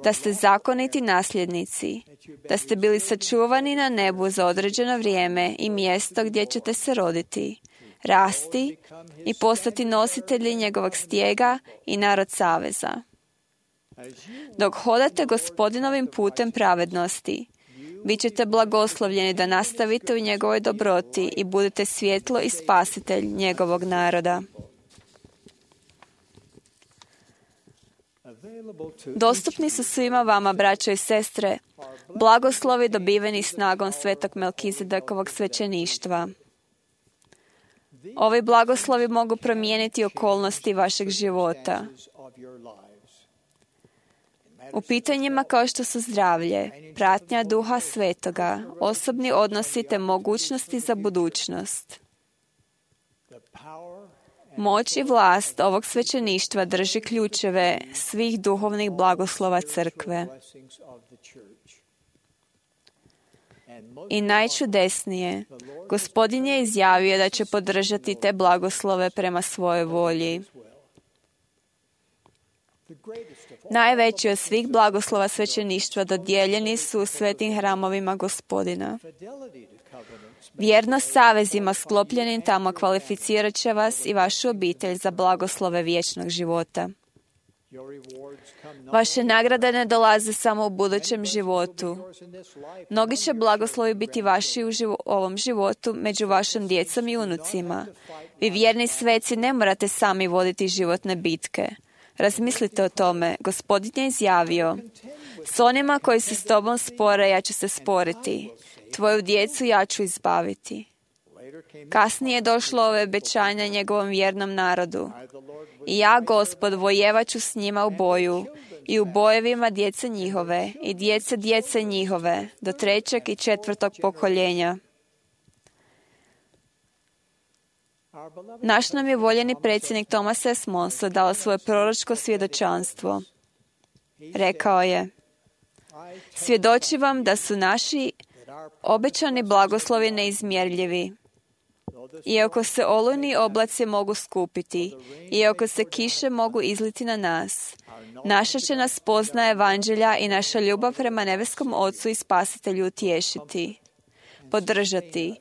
da ste zakoniti nasljednici, da ste bili sačuvani na nebu za određeno vrijeme i mjesto gdje ćete se roditi, rasti i postati nositelji njegovog stijega i narod saveza. Dok hodate Gospodinovim putem pravednosti, bit ćete blagoslovljeni da nastavite u njegovoj dobroti i budete svjetlo i spasitelj njegovog naroda. Dostupni su svima vama, braćo i sestre, blagoslovi dobiveni snagom svetog Melkizedekovog svećeništva. Ovi blagoslovi mogu promijeniti okolnosti vašeg života. U pitanjima kao što su zdravlje, pratnja Duha Svetoga, osobni odnosi te mogućnosti za budućnost. Moć i vlast ovog svećeništva drži ključeve svih duhovnih blagoslova crkve. I najčudesnije, Gospodin je izjavio da će podržati te blagoslove prema svojoj volji. Najveći od svih blagoslova svećeništva dodijeljeni su u svetim hramovima Gospodina. Vjernost savezima sklopljenim tamo kvalificirat će vas i vašu obitelj za blagoslove vječnog života. Vaše nagrade ne dolaze samo u budućem životu. Mnogi će blagoslovi biti vaši u živo, ovom životu među vašom djecom i unucima. Vi vjerni sveci ne morate sami voditi životne bitke. Razmislite o tome. Gospodin je izjavio: s onima koji se s tobom spore, ja ću se sporiti. Tvoju djecu ja ću izbaviti. Kasnije je došlo ove obećanja njegovom vjernom narodu. I ja, Gospod, vojevaću s njima u boju i u bojevima djece njihove i djece djece njihove do trećeg i četvrtog pokoljenja. Naš nam je voljeni predsjednik Thomas S. Monson dao svoje proročko svjedočanstvo. Rekao je: svjedočim vam da su naši obećani blagoslovi neizmjerljivi. Iako se olujni oblaci mogu skupiti, iako se kiše mogu izliti na nas, naša će nas spoznaja evanđelja i naša ljubav prema nebeskom Ocu i Spasitelju utješiti, podržati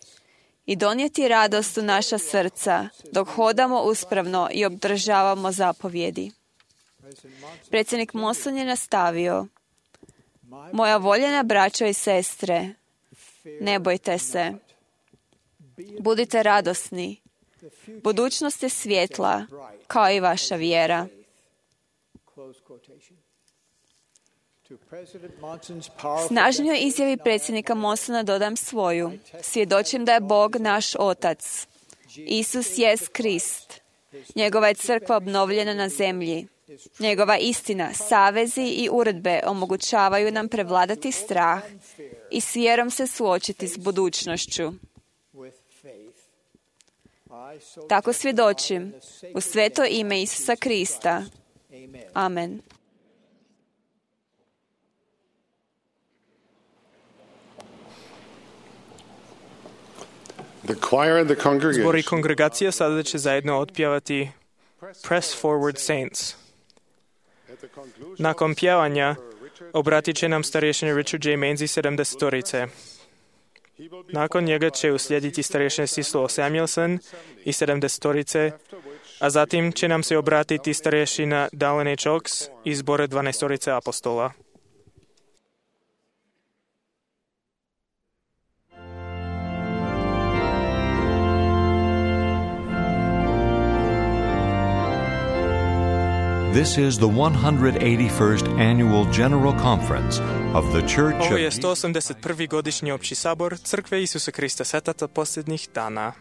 i donijeti radost u naša srca dok hodamo uspravno i obdržavamo zapovjedi. Predsjednik Monson je nastavio: Moja voljena braćo i sestre, ne bojte se. Budite radosni. Budućnost je svjetla, kao i vaša vjera. Snažnjoj izjavi predsjednika Monsona dodam svoju. Svjedočim da je Bog naš Otac. Isus jest Krist. Njegova je crkva obnovljena na zemlji. Njegova istina, savezi i uredbe omogućavaju nam prevladati strah i s vjerom se suočiti s budućnošću. Tako svjedočim u sveto ime Isusa Krista. Amen. Zbor i kongregacija sada će zajedno otpjevati Press Forward Saints. Nakon pjevanja obratit će nam starješin Richard J. Mainz iz sedamdesetorice. Nakon njega će uslijediti starješin Sislo Samuelson iz sedamdesetorice, a zatim će nam se obratiti starješina Dallin H. Oaks iz zbora dvanaestorice apostola. This is the one hundred eighty-first Annual General Conference of the Church of... Ovo je sto osamdeset prvi godišnji opći sabor Crkve Isusa Krista Svetaca posljednjih dana.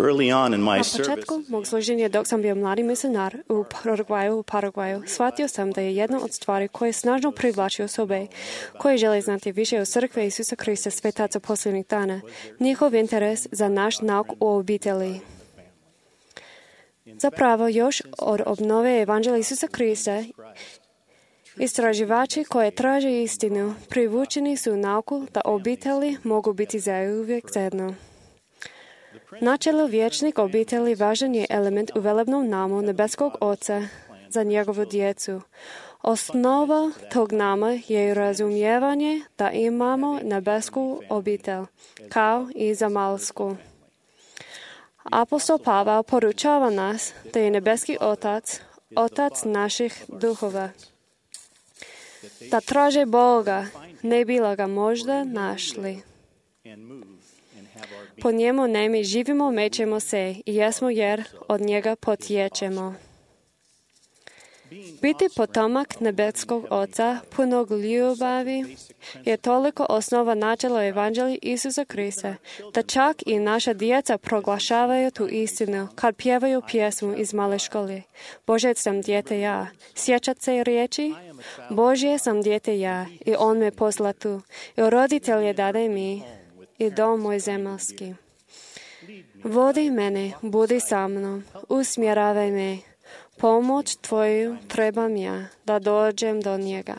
Na početku mog služenja dok sam bio mladi misionar u Paragvaju, u Paragvaju, shvatio sam da je jedna od stvari koje snažno privlači osobe koje žele znati više o crkve Isusa Krista Svetaca posljednjih dana, njihov interes za naš nauk o obitelji. Zapravo, još od obnove evanđelja Isusa Krista, istraživači koji traže istinu privučeni su nauku da obitelji mogu biti zauvijek zajedno. Načelo vječnih obitelji važan je element u velebnom namu nebeskog Oca za njegovu djecu. Osnova tog nama je razumijevanje da imamo nebesku obitelj, kao i zemaljsku. Apostol Pavel poručava nas da je nebeski Otac, Otac naših duhova. Da traže Boga, ne bila ga možda našli. Po njemu ne mi živimo, mećemo se i jesmo jer od njega potječemo. Biti potomak nebeskog Oca, punog ljubavi, je toliko osnova načela evanđelja Isusa Krista, da čak i naša djeca proglašavaju tu istinu kad pjevaju pjesmu iz male škole. Bože sam dijete ja. Sjećat se riječi? Božje sam dijete ja i On me posla tu. I roditelje dade mi i dom moj zemaljski. Vodi mene, budi sa mnom, usmjeravaj me. Pomoć Tvoju trebam ja, da dođem do njega.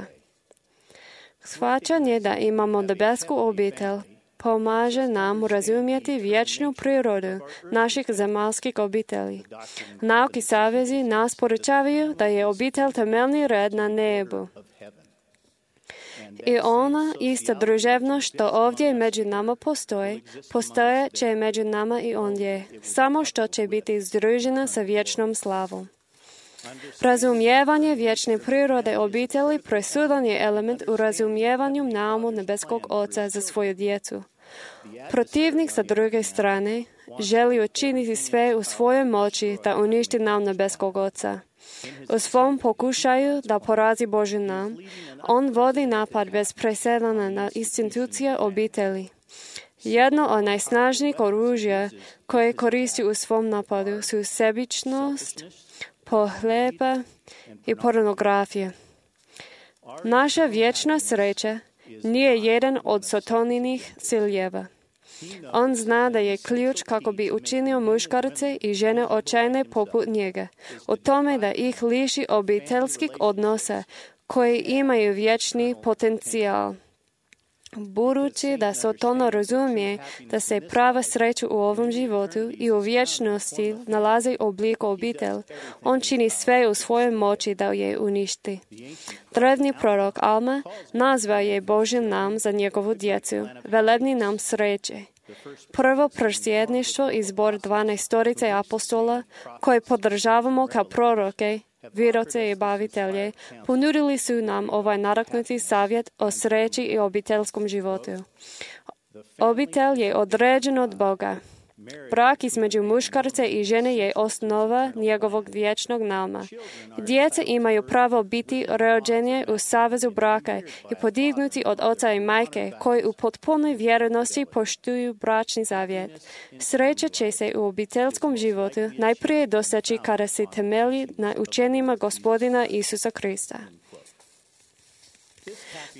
Shvaćanje da imamo nebesku obitelj pomaže nam razumjeti vječnu prirodu naših zemaljskih obitelji. Nauki savezi nas poručavaju da je obitelj temeljni red na nebu. I ona ista druževnost što ovdje među nama postoji, postoje će među nama i ondje, samo što će biti združena sa vječnom slavom. Razumijevanje vječne prirode obitelji presudan je element u razumijevanju naumu nebeskog Oca za svoju djecu. Protivnik sa druge strane želi učiniti sve u svojoj moći da uništi naum nebeskog Oca. U svom pokušaju da porazi Božji naum, on vodi napad bez presedana na institucije obitelji. Jedno od najsnažnijih oružja koje koristi u svom napadu su sebičnost, pohlepa i pornografija. Naša vječna sreća nije jedan od Sataninih ciljeva. On zna da je ključ kako bi učinio muškarce i žene očajne poput njega, u tome da ih liši obiteljskih odnosa koji imaju vječni potencijal. Budući da Satan razumije da se prava sreća u ovom životu i u vječnosti nalazi u obliku obitelj, on čini sve u svojoj moći da je uništi. Drevni prorok Alma nazva je Božji nam za njegovu djecu, velebni nam sreće. Prvo prosvjedništvo i zbor dvanaestorice apostola, koje podržavamo kao proroke, viroce i bavitelje, ponudili su nam ovaj nadahnuti savjet o sreći i obiteljskom životu. Obitelj je određen od Boga. Brak između muškarca i žene je osnova njegovog vječnog nauma. Djeca imaju pravo biti rođene u savezu braka i podignuti od oca i majke, koji u potpunoj vjernosti poštuju bračni zavjet. Sreća će se u obiteljskom životu najprije doseći kada se temelji na učenjima Gospodina Isusa Krista.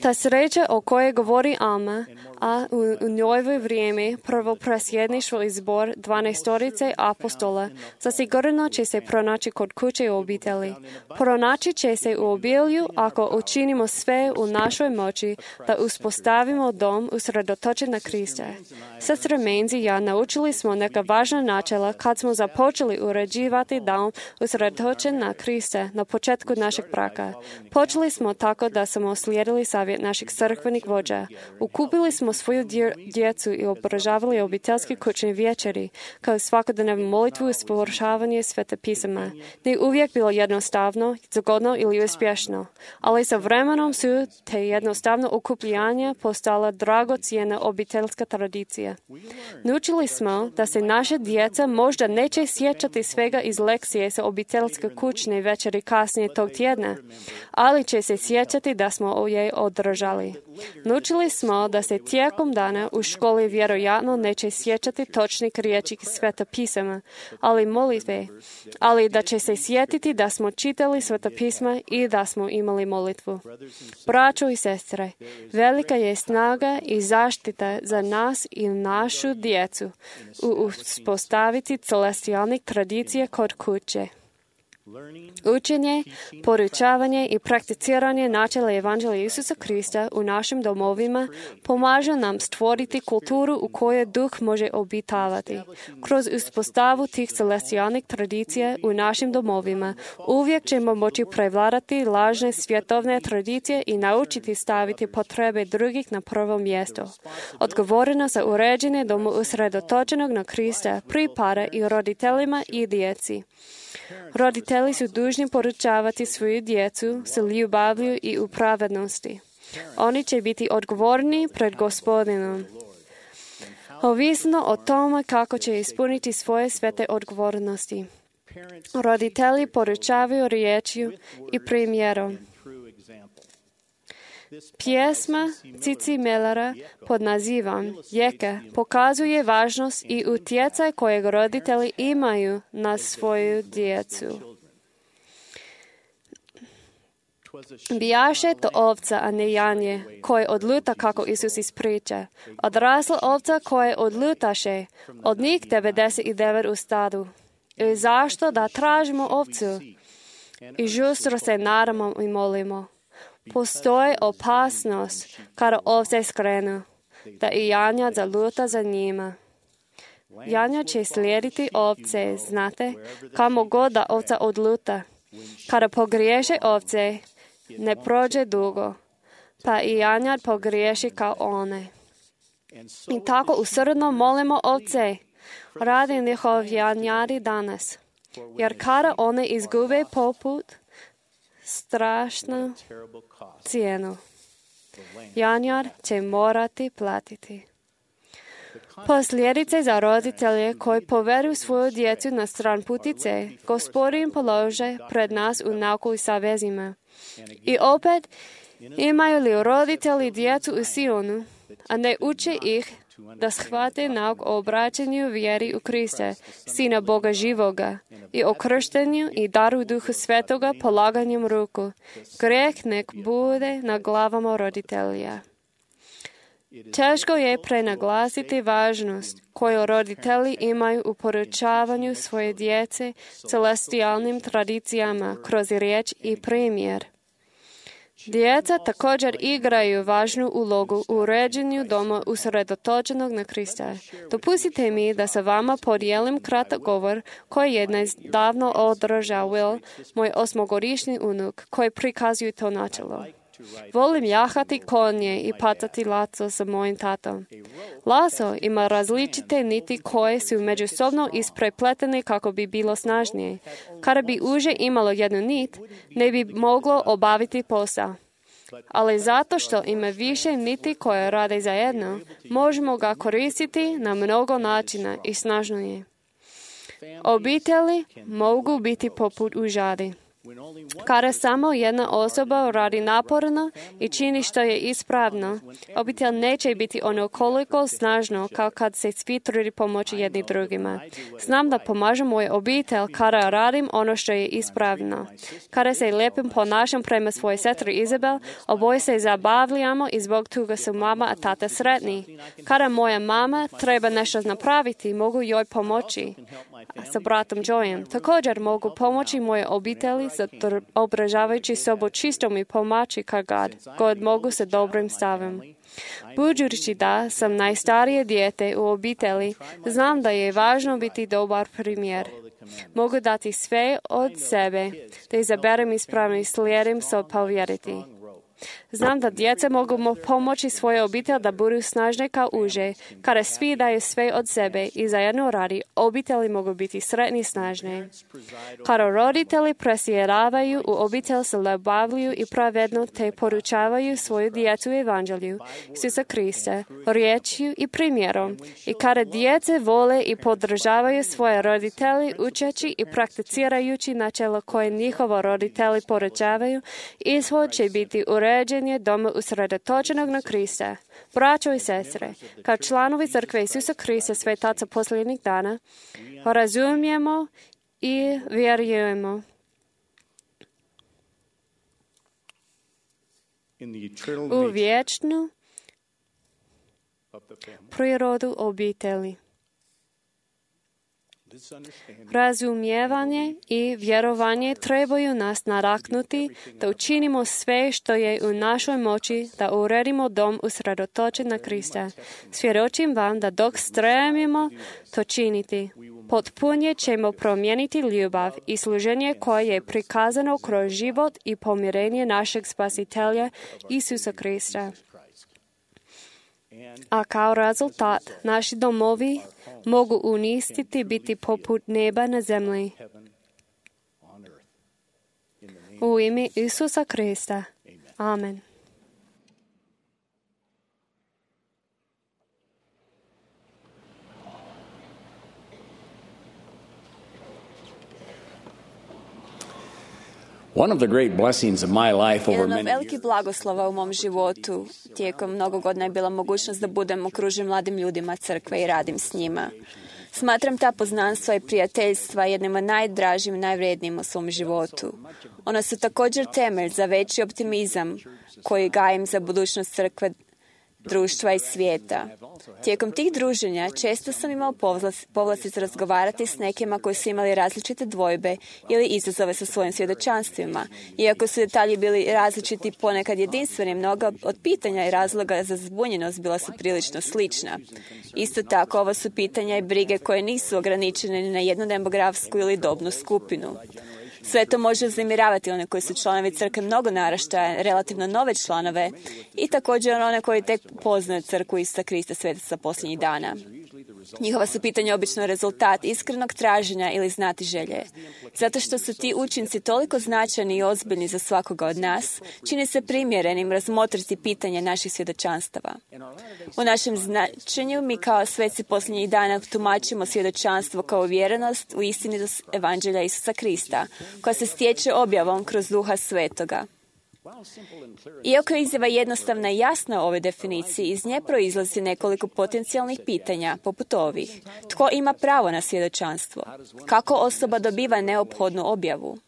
Ta sreća o kojoj govori Alma, a u, u njoj vrijeme prvo presjedništvo i zbor dvanaestorice apostola, zasigurno će se pronaći kod kuće u obitelji. Pronaći će se u obilju ako učinimo sve u našoj moći da uspostavimo dom usredotočen na Krista. Sestre Menzi i ja naučili smo neka važna načela kad smo započeli uređivati dom usredotočen na Krista na početku našeg braka. Počeli smo tako da smo slijedili savjet naših crkvenih vođa. Ukupili smo svoju djecu i obožavali obiteljski kućni večeri, kao svakodnevnu molitvu i spovršavanje svete pisama. Nije uvijek bilo jednostavno, zgodno ili uspješno, ali sa vremenom su te jednostavno okupljanja postala dragocjena obiteljska tradicija. Naučili smo da se naše djeca možda neće sjećati svega iz lekcije sa obiteljske kućne večeri kasnije tog tjedna, ali će se sjećati da smo je održali. Naučili smo da se tijekom dana u školi vjerojatno neće sjećati točnih riječi sveta pisama, ali molitve, ali da će se sjetiti da smo čitali sveta pisma i da smo imali molitvu. Braćo i sestre, velika je snaga i zaštita za nas i našu djecu u uspostaviti celestijalnih tradicija kod kuće. Učenje, poručavanje i prakticiranje načela Evanđelja Isusa Krista u našim domovima pomaže nam stvoriti kulturu u kojoj duh može obitavati. Kroz uspostavu tih celestijalnih tradicija u našim domovima uvijek ćemo moći prevladati lažne svjetovne tradicije i naučiti staviti potrebe drugih na prvo mjesto. Odgovornost za uređenje doma usredotočenog na Krista pripada i roditeljima i djeci. Roditelji su dužni poručavati svoju djecu s ljubavlju i u pravednosti. Oni će biti odgovorni pred Gospodinom. Ovisno o tome kako će ispuniti svoje svete odgovornosti. Roditelji poručavaju riječju i primjerom. Pjesma Cici Mellera pod nazivom Jeke pokazuje važnost i utjecaj kojeg roditelji imaju na svoju djecu. Bijaše to ovca, a ne janje, koje odluta kako Isus ispriča. Odrasla ovca koje odlutaše, od njih devedeset devet u stadu. I zašto da tražimo ovcu? I žustro se nadamo i molimo. Postoji opasnost kada ovce skrenu, da i janjad zaluta za njima. Janjad će slijediti ovce, znate, kamo god da ovca odluta. Kada pogriješe ovce, ne prođe dugo, pa i janjad pogriješi kao one. I tako usrdno molimo ovce, radi njihov janjadi danas, jer kada one izgube poput, strašnu cijenu. Janjar će morati platiti. Posljedice za roditelje koji povedu svoju djecu na stran putice, Gospodin polože pred nas u nauku i savezima. I opet, imaju li roditelji djecu u Sionu, a ne uče ih da shvate nauk o obraćanju vjeri u Krista, Sina Boga živoga, i o krštenju i daru Duhu Svetoga polaganjem ruku. Greh nek bude na glavama roditelja. Teško je prenaglasiti važnost koju roditelji imaju u poručavanju svoje djece celestijalnim tradicijama kroz riječ i primjer. Djeca također igraju važnu ulogu u uređenju doma usredotočenog na Krista. Dopustite mi da sa vama podijelim kratak govor koji je davno održao Will, moj osmogodišnji unuk, koji prikazuje to načelo. Volim jahati konje i patati laso sa mojim tatom. Laso ima različite niti koje su međusobno isprepletene kako bi bilo snažnije. Kada bi uže imalo jednu nit, ne bi moglo obaviti posao. Ali zato što ima više niti koje rade zajedno, možemo ga koristiti na mnogo načina i snažno je. Obitelji mogu biti poput užadi. Kada samo jedna osoba radi naporno i čini što je ispravno, obitelj neće biti ono koliko snažno kao kad se svi trudi pomoći jedni drugima. Znam da pomažem moj obitelj kada radim ono što je ispravno. Kada se lijepim ponašam prema svojoj sestri Izabel, oboje se zabavljamo i zbog toga su mama a tata sretni. Kada moja mama treba nešto napraviti, mogu joj pomoći sa bratom Joyem. Također mogu pomoći moje obitelji obražavajući sobu čistom i pomaći kad god mogu sa dobrim stavom. Budući da sam najstarije dijete u obitelji, znam da je važno biti dobar primjer. Mogu dati sve od sebe, da izaberem ispravno i slijedim se povjeriti. Znam da djeca mogu pomoći svoje obitelj da budu snažne kao uže. Kada svi daju sve od sebe i zajedno radi, obitelji mogu biti sretni i snažne. Kada roditelji presjedavaju u obitelj se ljubavlju i pravedno te poručavaju svoju djecu evanđelju, Isusa Krista, riječju i primjerom. I kada djece vole i podržavaju svoje roditelji učeći i prakticirajući načelo koje njihovo roditelji poručavaju, ishod će biti uređenje doma usredotočenog na Krista. Braćo i sestre, kao članovi crkve Isusa Krista svetaca posljednjih dana, razumijemo i vjerujemo u vječnu prirodu obitelji. Razumijevanje i vjerovanje trebaju nas naraknuti da učinimo sve što je u našoj moći da uredimo dom usredotočen na Krista. Svjedočim vam da dok stremimo to činiti, potpunje ćemo promijeniti ljubav i služenje koje je prikazano kroz život i pomirenje našeg Spasitelja Isusa Krista. A kao rezultat, naši domovi mogu unistiti biti poput neba na zemlji. U ime Isusa Krista. Amen. One of the great blessings of my life over Jedan od many velikih blagoslova u mom životu tijekom mnogo godina je bila mogućnost da budem okružen mladim ljudima crkve i radim s njima. Smatram ta poznanstva i prijateljstva jednim od najdražim i najvrednijim u svom životu. Ona su također temelj za veći optimizam koji gajim za budućnost crkve, društva i svijeta. Tijekom tih druženja često sam imao povlasticu razgovarati s nekima koji su imali različite dvojbe ili izazove sa svojim svjedočanstvima. Iako su detalji bili različiti, ponekad jedinstveni, mnoga od pitanja i razloga za zbunjenost bila su prilično slična. Isto tako, ovo su pitanja i brige koje nisu ograničene ni na jednu demografsku ili dobnu skupinu. Sve to može uznemiravati one koji su članovi crkve mnogo naraštaja, relativno nove članove i također one koji tek poznaju crkvu Isusa Krista svetaca posljednjih dana. Njihova su pitanja obično rezultat iskrenog traženja ili znati želje. Zato što su ti učinci toliko značajni i ozbiljni za svakoga od nas, čini se primjerenim razmotriti pitanje naših svjedočanstava. U našem značenju mi kao sveci posljednjih dana tumačimo svjedočanstvo kao uvjerenost u istinitost Evanđelja Isusa Krista, koja se stječe objavom kroz Duha Svetoga. Iako je izjava jednostavna i jasna u ovoj definiciji, iz nje proizlazi nekoliko potencijalnih pitanja, poput ovih. Tko ima pravo na svjedočanstvo? Kako osoba dobiva neophodnu objavu?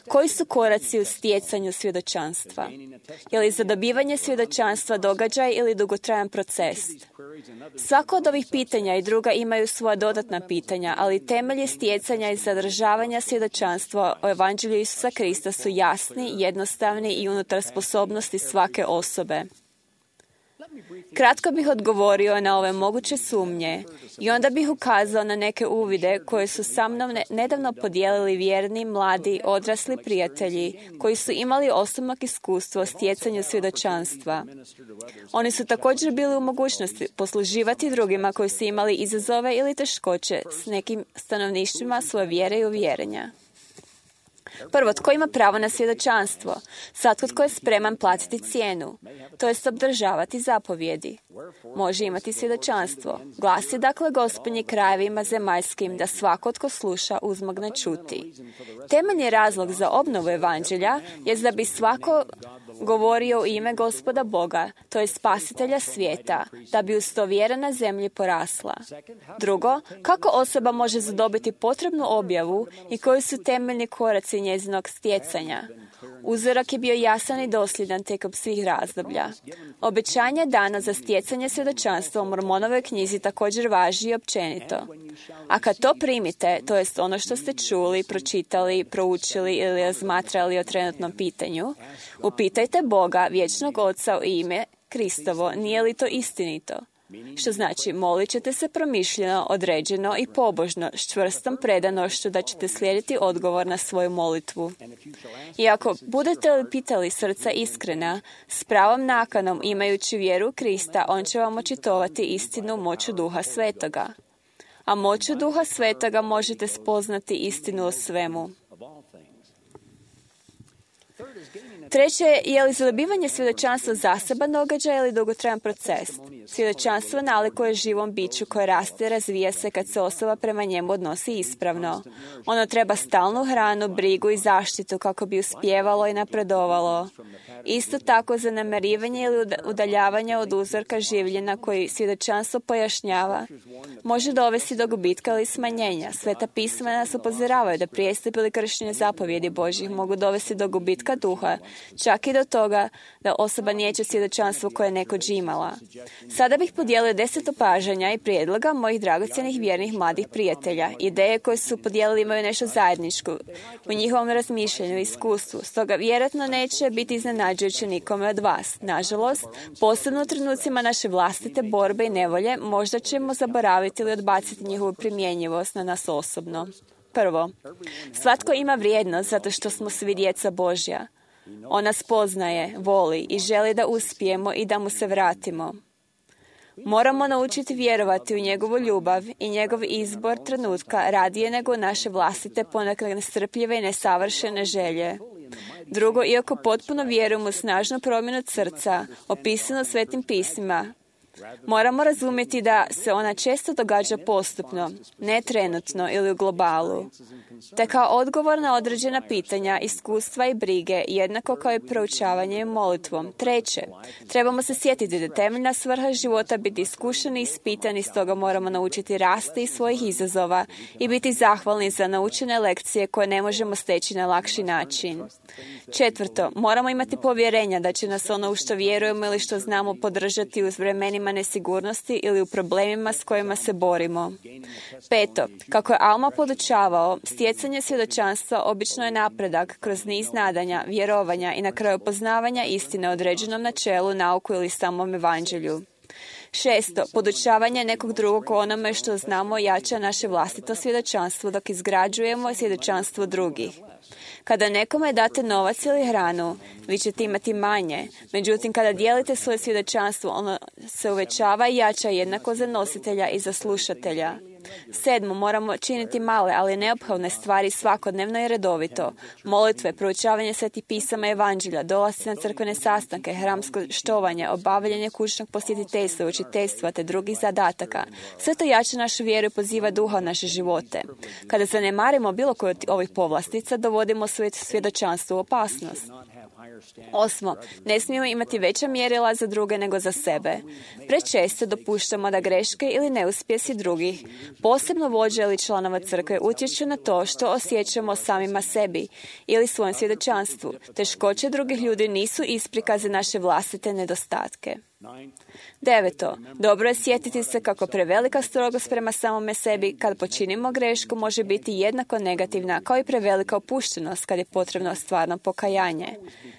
Koji su koraci u stjecanju svjedočanstva? Je li za dobivanje svjedočanstva događaj ili dugotrajan proces? Svako od ovih pitanja i druga imaju svoja dodatna pitanja, ali temelji stjecanja i zadržavanja svjedočanstva o Evanđelju Isusa Krista su jasni, jednostavni i unutar sposobnosti svake osobe. Kratko bih odgovorio na ove moguće sumnje i onda bih ukazao na neke uvide koje su sa mnom nedavno podijelili vjerni, mladi, odrasli prijatelji koji su imali osobnog iskustva o stjecanju svjedočanstva. Oni su također bili u mogućnosti posluživati drugima koji su imali izazove ili teškoće s nekim stanovništvima svoje vjere i uvjerenja. Prvo, tko ima pravo na svjedočanstvo? Svatko tko je spreman platiti cijenu, to jest obdržavati zapovjedi. Može imati svjedočanstvo. Glasi dakle Gospodnji krajevima zemaljskim da svako tko sluša uzmogne čuti. Temeljni razlog za obnovu Evanđelja je da bi svako govorio u ime Gospoda Boga, to je spasitelja svijeta, da bi uz to vjera na zemlji porasla. Drugo, kako osoba može zadobiti potrebnu objavu i koji su temeljni koraci njezinog stjecanja? Uzorak je bio jasan i dosljedan tijekom svih razdoblja. Obećanje dano za stjecanje svjedočanstva u Mormonovoj knjizi također važi i općenito. A kad to primite, to jest ono što ste čuli, pročitali, proučili ili razmatrali o trenutnom pitanju, upitajte Boga, vječnog Oca u ime Kristovo, nije li to istinito? Što znači, molit ćete se promišljeno, određeno i pobožno, s čvrstom predanošću da ćete slijediti odgovor na svoju molitvu. I ako budete li pitali srca iskrena, s pravom nakanom imajući vjeru u Krista, on će vam očitovati istinu moću Duha Svetoga. A moću Duha Svetoga možete spoznati istinu o svemu. Treće, je li zadobivanje svjedočanstva zaseban događaj ili dugotrajan proces? Svjedočanstvo nalikuje živom biću koje raste i razvija se kad se osoba prema njemu odnosi ispravno. Ono treba stalnu hranu, brigu i zaštitu kako bi uspjevalo i napredovalo. Isto tako zanemarivanje ili udaljavanje od uzorka življenja koji svjedočanstvo pojašnjava može dovesti do gubitka ili smanjenja. Sveta pisma nas upozoravaju da prijestup ili kršenje zapovjedi Božjih mogu dovesti do gubitka duha, čak i do toga da osoba nijeće svjedočanstvo koje je nekoć imala. Sada bih podijelio deset opažanja i prijedloga mojih dragocjenih vjernih mladih prijatelja. Ideje koje su podijelili imaju nešto zajedničko u njihovom razmišljanju i iskustvu, stoga vjerojatno neće biti iznenađujuće nikome od vas. Nažalost, posebno u trenucima naše vlastite borbe i nevolje, možda ćemo zaboraviti ili odbaciti njihovu primjenjivost na nas osobno. Prvo, svatko ima vrijednost zato što smo svi djeca Božja. On nas poznaje, voli i želi da uspijemo i da mu se vratimo. Moramo naučiti vjerovati u njegovu ljubav i njegov izbor trenutka radije nego naše vlastite ponekad nestrpljive i nesavršene želje. Drugo, iako potpuno vjerujemo u snažnu promjenu srca, opisano svetim pismima, moramo razumjeti da se ona često događa postupno, ne trenutno ili u globalu. Te kao odgovor na određena pitanja, iskustva i brige, jednako kao i proučavanje i molitvom. Treće, trebamo se sjetiti da temeljna svrha života biti iskušani i ispitani, stoga moramo naučiti rasti iz svojih izazova i biti zahvalni za naučene lekcije koje ne možemo steći na lakši način. Četvrto, moramo imati povjerenja da će nas ono u što vjerujemo ili što znamo podržati u vremenima nesigurnosti ili u problemima s kojima se borimo. Peto, kako je Alma podučavao, stjecanje svjedočanstva obično je napredak kroz niz nadanja, vjerovanja i na kraju poznavanja istine o određenom načelu, nauku ili samom evanđelju. Šesto, podučavanje nekog drugog onome što znamo jača naše vlastito svjedočanstvo dok izgrađujemo svjedočanstvo drugih. Kada nekome date novac ili hranu, vi ćete imati manje. Međutim, kada dijelite svoje svjedočanstvo, ono se uvećava i jača jednako za nositelja i za slušatelja. Sedmo, moramo činiti male, ali neophodne stvari svakodnevno i redovito. Molitve, proučavanje svetih pisama i evanđelja, dolasci na crkvene sastanke, hramsko štovanje, obavljanje kućnog posjetiteljstva, učiteljstva te drugih zadataka. Sve to jača našu vjeru i poziva duha u naše živote. Kada zanemarimo bilo koju od ovih povlastica, dovodimo svoje svjedočanstvo u opasnost. Osmo, ne smijemo imati veća mjerila za druge nego za sebe. Prečesto dopuštamo da greške ili neuspjesi drugih, posebno vođe ili članova crkve, utječu na to što osjećamo samima sebi ili svojem svjedočanstvu. Teškoće drugih ljudi nisu isprika za naše vlastite nedostatke. Deveto, dobro je sjetiti se kako prevelika strogost prema samome sebi kad počinimo grešku može biti jednako negativna kao i prevelika opuštenost kad je potrebno stvarno pokajanje.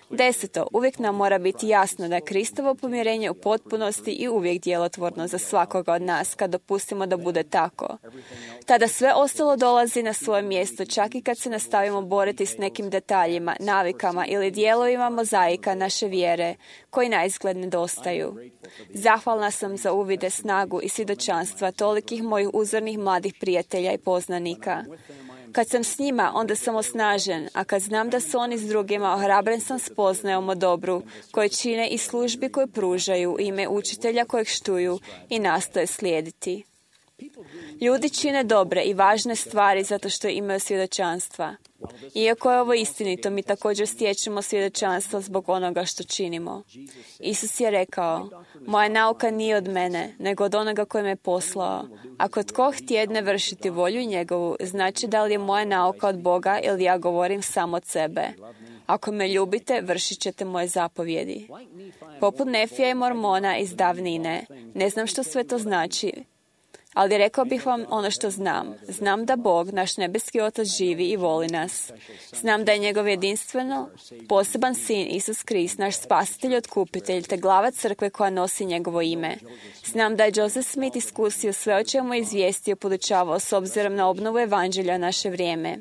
Deseto, uvijek nam mora biti jasno da je Kristovo pomirenje u potpunosti i uvijek djelotvorno za svakoga od nas kad dopustimo da bude tako. Tada sve ostalo dolazi na svoje mjesto, čak i kad se nastavimo boriti s nekim detaljima, navikama ili dijelovima mozaika naše vjere koji naizgled nedostaju. Zahvalna sam za uvide, snagu i svjedočanstva tolikih mojih uzornih mladih prijatelja i poznanika. Kad sam s njima, onda sam osnažen, a kad znam da su oni s drugima, ohrabren sam spoznajom o dobru koje čine i službi koje pružaju, ime učitelja kojeg štuju i nastoje slijediti. Ljudi čine dobre i važne stvari zato što imaju svjedočanstva. Iako je ovo istinito, mi također stječemo svjedočanstvo zbog onoga što činimo. Isus je rekao, moja nauka nije od mene, nego od onoga koji me poslao. Ako tko htjedne vršiti volju njegovu, znači da li je moja nauka od Boga ili ja govorim samo od sebe. Ako me ljubite, vršit ćete moje zapovjedi. Poput Nefija i Mormona iz davnine, ne znam što sve to znači, ali rekao bih vam ono što znam. Znam da Bog, naš nebeski Otac, živi i voli nas. Znam da je njegov jedinstveno poseban sin, Isus Krist, naš spasitelj i otkupitelj, te glava crkve koja nosi njegovo ime. Znam da je Joseph Smith iskusio sve o čemu je izvijestio, podučavao s obzirom na obnovu evanđelja naše vrijeme.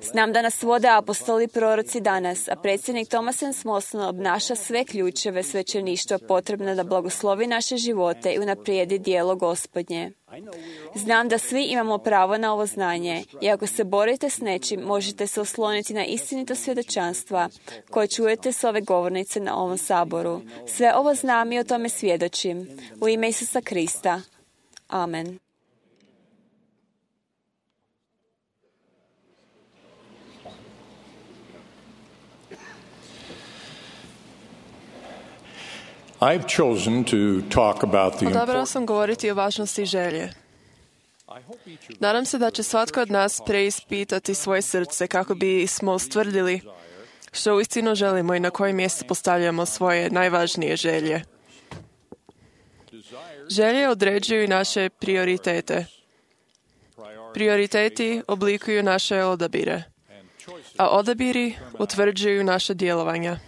Znam da nas vode apostoli i proroci danas, a predsjednik Thomas M. Smolson obnaša sve ključeve svećeništva potrebne da blagoslovi naše živote i unaprijedi djelo Gospodnje. Znam da svi imamo pravo na ovo znanje i ako se borite s nečim, možete se osloniti na istinito svjedočanstva koje čujete s ove govornice na ovom saboru. Sve ovo znam i o tome svjedočim. U ime Isusa Krista. Amen. I've chosen to talk about the Odabrao sam govoriti o važnosti želje. Nadam se da će svatko od nas preispitati svoje srce kako bi smo ustvrdili što uistinu želimo i na koje mjesto postavljamo svoje najvažnije želje. Želje određuju naše prioritete. Prioriteti oblikuju naše odabire, a odabiri utvrđuju naše djelovanja.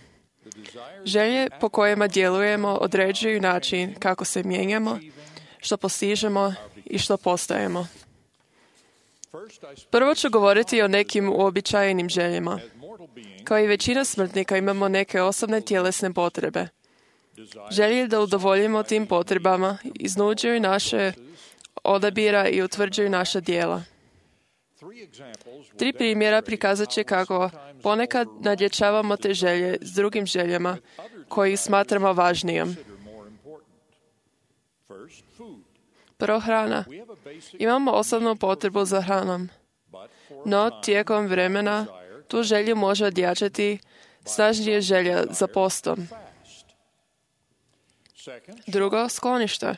Želje po kojima djelujemo određuju način kako se mijenjamo, što postižemo i što postajemo. Prvo ću govoriti o nekim uobičajenim željama. Kao i većina smrtnika imamo neke osobne tjelesne potrebe. Želje da udovoljimo tim potrebama iznuđuju naše odabira i utvrđuju naša djela. Tri primjera prikazat će kako ponekad nadjačavamo te želje s drugim željama koji smatramo važnijom. Prvo, hrana. Imamo osobnu potrebu za hranom, no tijekom vremena tu želju može odjačati snažnije želja za postom. Drugo, sklonište.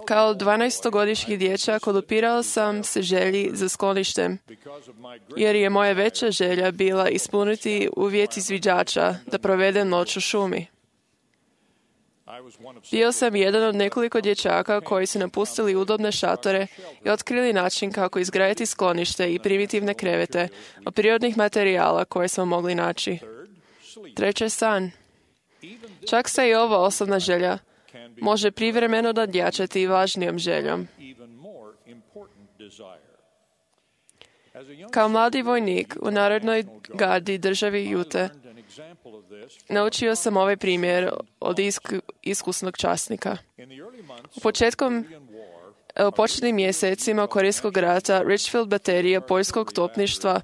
Kao dvanaestogodišnji dječak odupirao sam se želji za skloništem, jer je moja veća želja bila ispuniti uvjet izviđača da provedem noć u šumi. Bio sam jedan od nekoliko dječaka koji su napustili udobne šatore i otkrili način kako izgraditi sklonište i primitivne krevete od prirodnih materijala koje smo mogli naći. Treće, san. Čak se i ova osobna želja može privremeno nadjačati važnijom željom. Kao mladi vojnik u Narodnoj gardi državi Jute, naučio sam ovaj primjer od isku, iskusnog časnika. U početkom, u početnim mjesecima Korejskog rata Richfield baterija poljskog topništva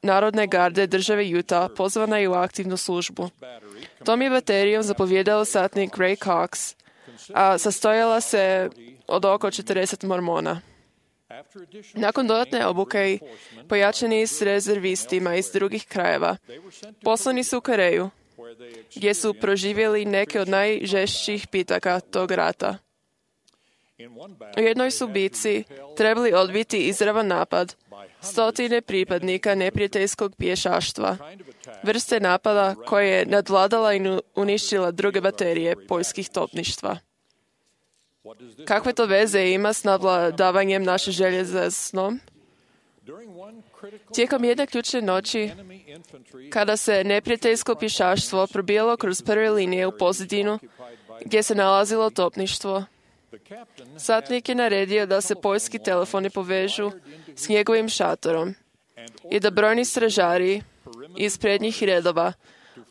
Narodne garde države Utah pozvana je u aktivnu službu. Tom je baterijom zapovjedao satnik Ray Cox, a sastojala se od oko četrdeset mormona. Nakon dodatne obuke i pojačani s rezervistima iz drugih krajeva, poslani su u Koreju, gdje su proživjeli neke od najžešćih pitaka tog rata. U jednoj su bitci trebali odbiti izravan napad stotine pripadnika neprijateljskog pješaštva, vrste napada koje je nadvladala i uništila druge baterije poljskih topništva. Kakve to veze ima s nadvladavanjem naše želje za snom? Tijekom jedne ključne noći, kada se neprijateljsko pješaštvo probijalo kroz prve linije u pozadinu, gdje se nalazilo topništvo, satnik je naredio da se poljski telefoni povežu s njegovim šatorom i da brojni stražari iz prednjih redova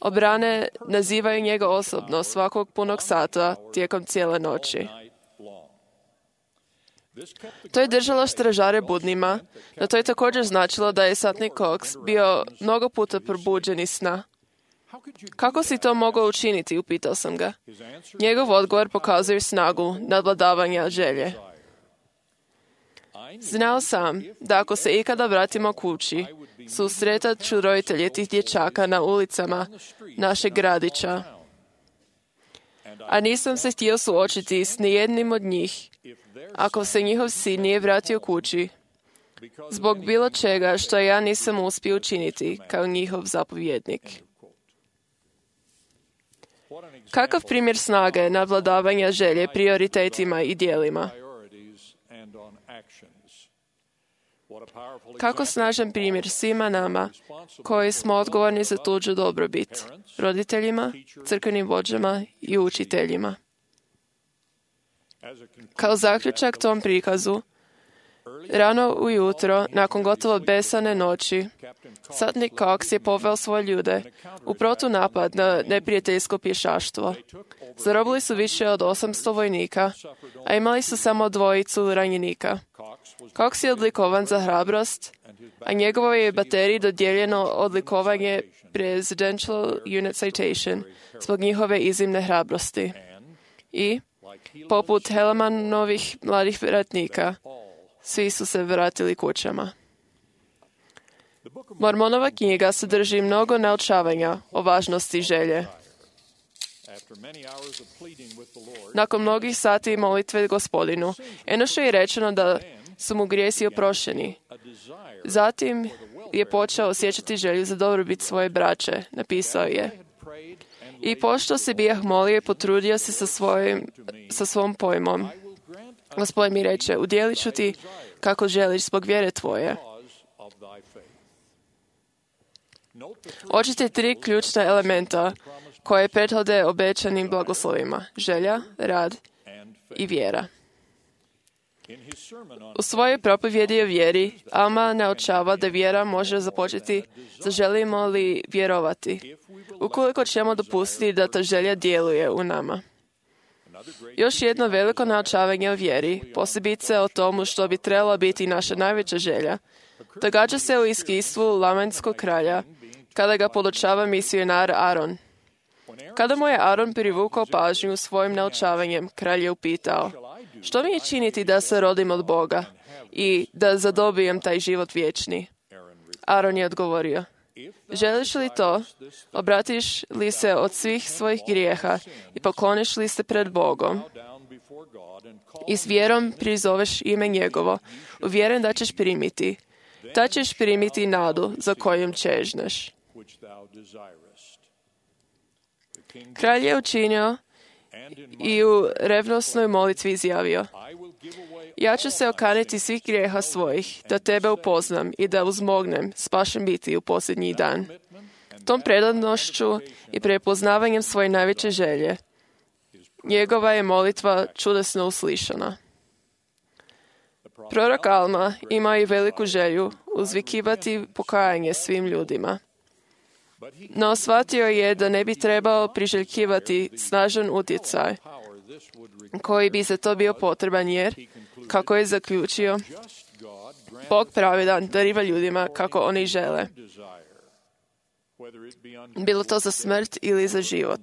obrane nazivaju njega osobno svakog punog sata tijekom cijele noći. To je držalo stražare budnima, no to je također značilo da je satnik Cox bio mnogo puta probuđen iz sna. Kako si to mogao učiniti, upitao sam ga. Njegov odgovor pokazuje snagu nadvladavanja želje. Znao sam da ako se ikada vratimo kući, susretat ću roditelje tih dječaka na ulicama našeg gradića. A nisam se htio suočiti s nijednim od njih ako se njihov sin nije vratio kući zbog bilo čega što ja nisam uspio učiniti kao njihov zapovjednik. Kakav primjer snage nadvladavanja želje prioritetima i djelima? Kako snažan primjer svima nama koji smo odgovorni za tuđu dobrobit, roditeljima, crkvenim vođama i učiteljima. Kao zaključak tom prikazu, rano ujutro, nakon gotovo besane noći, satnik Cox je poveo svoje ljude u protunapad na neprijateljsko pješaštvo. Zarobili su više od osamsto vojnika, a imali su samo dvojicu ranjenika. Cox je odlikovan za hrabrost, a njegovoj je bateriji dodijeljeno odlikovanje Presidential Unit Citation zbog njihove iznimne hrabrosti. I, poput Helemanovih mladih ratnika, svi su se vratili kućama. Mormonova knjiga sadrži mnogo naučavanja o važnosti želje. Nakon mnogih sati molitve Gospodinu, Enošu je rečeno da su mu grijesi oprošteni. Zatim je počeo osjećati želju za dobrobit svoje braće, napisao je. I pošto se bijah molio i potrudio se sa, svojim, sa svom pojmom, Gospodin mi reče, udjelit ću ti kako želiš zbog vjere tvoje. Očite tri ključna elementa koje prethode obećanim blagoslovima. Želja, rad i vjera. U svojoj propovjedi o vjeri, Alma naučava da vjera može započeti zaželimo li vjerovati, ukoliko ćemo dopustiti da ta želja djeluje u nama. Još jedno veliko naučavanje o vjeri, posebice o tomu što bi trebala biti naša najveća želja, događa se u iskustvu Lamanskog kralja, kada ga podučava misionar Aron. Kada mu je Aron privukao pažnju svojim naučavanjem, kralj je upitao, što mi je činiti da se rodim od Boga i da zadobijem taj život vječni? Aron je odgovorio, želiš li to, obratiš li se od svih svojih grijeha i pokloniš li se pred Bogom i s vjerom prizoveš ime njegovo, uvjeren da ćeš primiti, da ćeš primiti nadu za kojom čežneš. Kralj je učinio i u revnosnoj molitvi izjavio, ja ću se okaniti svih grijeha svojih, da tebe upoznam i da uzmognem spašen biti u posljednji dan. Tom predanošću i prepoznavanjem svoje najveće želje, njegova je molitva čudesno uslišana. Prorok Alma ima i veliku želju uzvikivati pokajanje svim ljudima. No shvatio je da ne bi trebao priželjkivati snažan utjecaj koji bi za to bio potreban jer, kako je zaključio, Bog pravedan dariva ljudima kako oni žele. Bilo to za smrt ili za život.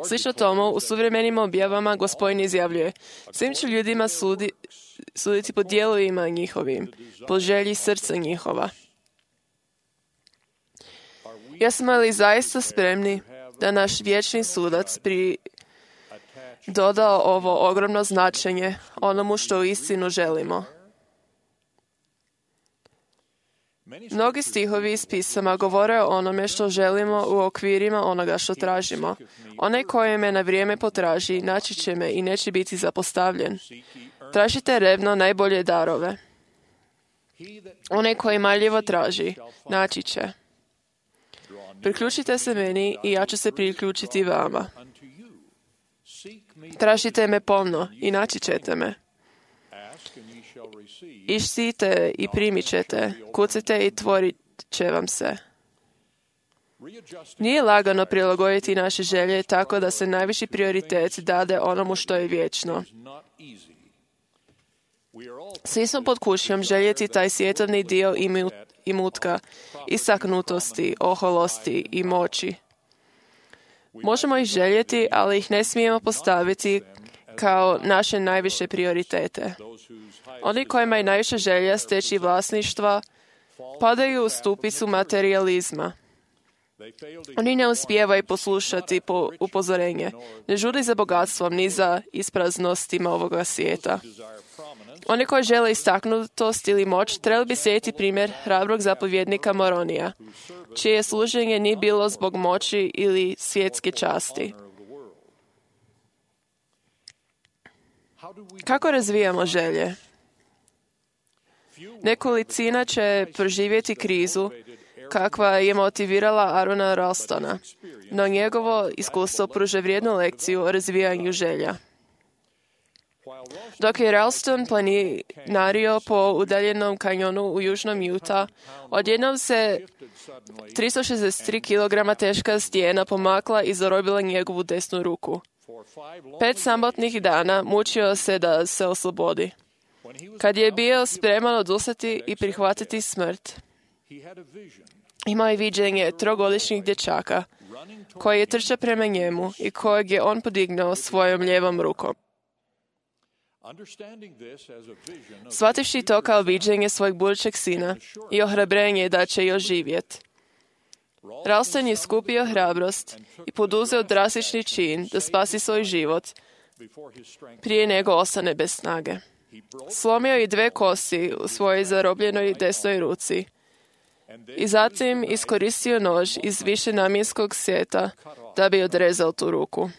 Slično tomu, u suvremenim objavama Gospodin izjavljuje, svim ću ljudima sudi, suditi po dijelovima njihovim, po želji srca njihova. Jesmo li zaista spremni da naš vječni sudac pri dodao ovo ogromno značenje onomu što u istinu želimo? Mnogi stihovi iz pisama govore o onome što želimo u okvirima onoga što tražimo. Onaj koji me na vrijeme potraži, naći će me i neće biti zapostavljen. Tražite revno najbolje darove. Onaj koji marljivo traži, naći će. Priključite se meni i ja ću se priključiti vama. Tražite me pomno i naći ćete me. Išcite i primit ćete, kucite i tvorit će vam se. Nije lagano prilagoditi naše želje tako da se najviši prioritet dade onomu što je vječno. Svi smo pod kušnjom željeti taj svjetovni dio imutka, istaknutosti, oholosti i moći. Možemo ih željeti, ali ih ne smijemo postaviti kao naše najviše prioritete. Oni kojima je najviše želja steći vlasništva padaju u stupicu materijalizma. Oni ne uspijevaju poslušati po upozorenje, ne žudi za bogatstvom ni za ispraznostima ovoga svijeta. Oni koji žele istaknutost ili moć trebali bi slijediti primjer hrabrog zapovjednika Moronija, čije služenje nije bilo zbog moći ili svjetske časti. Kako razvijamo želje? Nekolicina će proživjeti krizu kakva je motivirala Arona Ralstona, no njegovo iskustvo pruža vrijednu lekciju o razvijanju želja. Dok je Ralston planinario po udaljenom kanjonu u južnom Utah, odjednom se tristo šezdeset tri kilograma teška stijena pomakla i zarobila njegovu desnu ruku. Pet samotnih dana mučio se da se oslobodi. Kad je bio spreman odustati i prihvatiti smrt, imao je viđenje trogodišnjeg dječaka koji je trčao prema njemu i kojeg je on podignuo svojom lijevom rukom. Shvativši to kao viđenje svojeg budućeg sina i ohrabrenje da će još živjeti, Ralston je skupio hrabrost i poduzeo drastični čin da spasi svoj život prije nego ostane bez snage. Slomio je dve kosti u svojoj zarobljenoj desnoj ruci i zatim iskoristio nož iz višenamjenskog seta da bi odrezao tu ruku.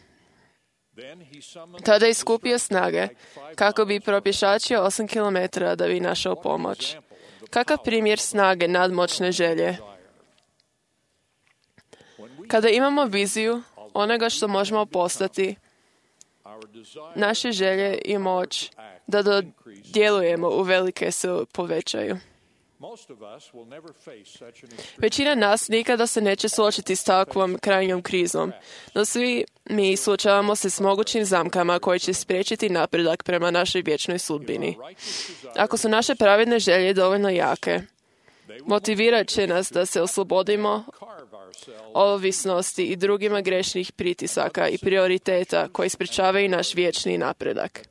Tada je skupio snage kako bi propješačio osam kilometara da bi našao pomoć. Kakav primjer snage nadmoćne želje? Kada imamo viziju onoga što možemo postati, naše želje i moć da djelujemo u velike se povećaju. Većina nas nikada se neće suočiti s takvom krajnjom krizom, no svi mi suočavamo se s mogućim zamkama koje će spriječiti napredak prema našoj vječnoj sudbini. Ako su naše pravedne želje dovoljno jake, motivirat će nas da se oslobodimo ovisnosti i drugima grešnih pritisaka i prioriteta koji sprečavaju naš vječni napredak.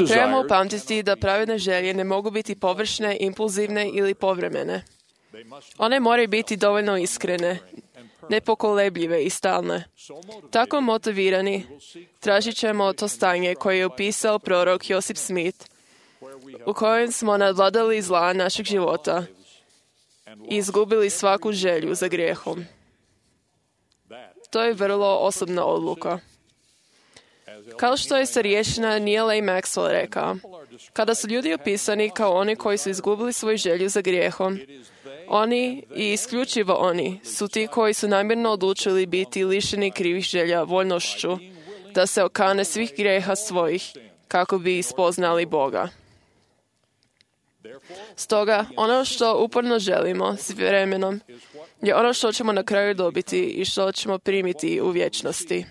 Trebamo upamtiti da pravedne želje ne mogu biti površne, impulzivne ili povremene. One moraju biti dovoljno iskrene, nepokolebljive i stalne. Tako motivirani, tražit ćemo to stanje koje je opisao prorok Josip Smith, u kojem smo nadvladali zla našeg života i izgubili svaku želju za grijehom. To je vrlo osobna odluka. Kao što je starješina Neil A. Maxwell rekao, kada su ljudi opisani kao oni koji su izgubili svoju želju za grijehom, oni i isključivo oni su ti koji su namjerno odlučili biti lišeni krivih želja voljnošću, da se okane svih grijeha svojih kako bi ispoznali Boga. Stoga, ono što uporno želimo s vremenom je ono što ćemo na kraju dobiti i što ćemo primiti u vječnosti.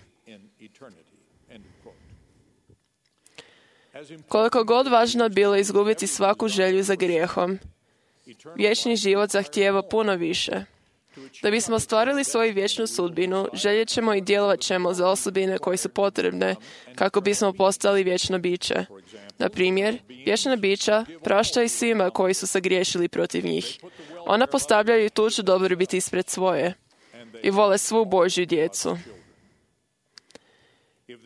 Koliko god važno bilo izgubiti svaku želju za grijehom, vječni život zahtijeva puno više. Da bismo ostvarili svoju vječnu sudbinu, željet ćemo i djelovat ćemo za osobine koje su potrebne kako bismo postali vječno biće. Na primjer, vječna bića praštaju svima koji su sagriješili protiv njih. Ona postavljaju tuđu dobrobit ispred svoje i vole svu Božju djecu.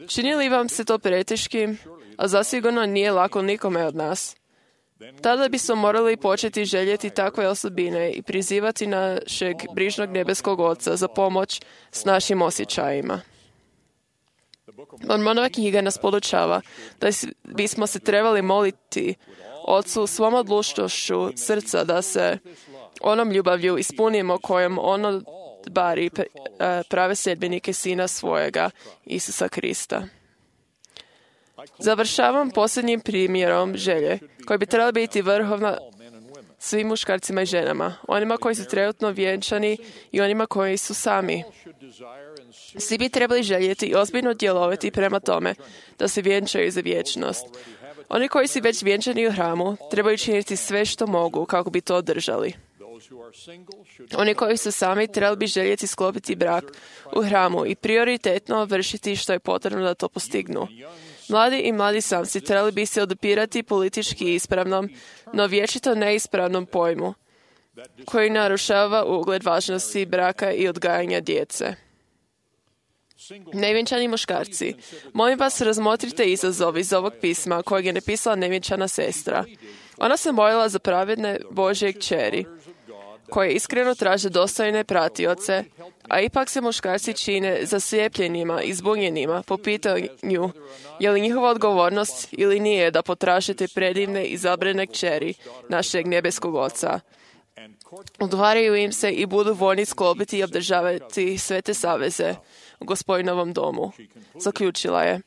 Čini li vam se to preteškim, a zasigurno nije lako nikome od nas? Tada bismo morali početi željeti takve osobine i prizivati našeg brižnog nebeskog Oca za pomoć s našim osjećajima. Mormonova knjiga nas podučava da bismo se trebali moliti Ocu svom odlučnošću srca da se onom ljubavlju ispunimo kojom ono bari prave sljedbenike Sina svojega, Isusa Krista. Završavam posljednjim primjerom želje, koji bi trebala biti vrhovna svim muškarcima i ženama, onima koji su trenutno vjenčani i onima koji su sami. Svi bi trebali željeti i ozbiljno djelovati prema tome da se vjenčaju za vječnost. Oni koji su već vjenčani u hramu trebaju činiti sve što mogu kako bi to održali. Oni koji su sami trebali bi željeti sklopiti brak u hramu i prioritetno vršiti što je potrebno da to postignu. Mladi i mladi samci trebali bi se odupirati politički ispravnom, no vječito neispravnom pojmu, koji narušava ugled važnosti braka i odgajanja djece. Nevjenčani muškarci, molim vas razmotrite izazov iz ovog pisma kojeg je napisala nevjenčana sestra. Ona se molila za pravedne Božje kćeri, koje iskreno traže dostojne pratioce, a ipak se muškarci čine zaslijepljenima i zbunjenima po pitanju je li njihova odgovornost ili nije da potražite predivne i izabrane kćeri našeg nebeskog Oca. Odvaraju im se i budu voljni sklopiti i obdržavati sve te saveze u Gospodinovom domu. Zaključila je.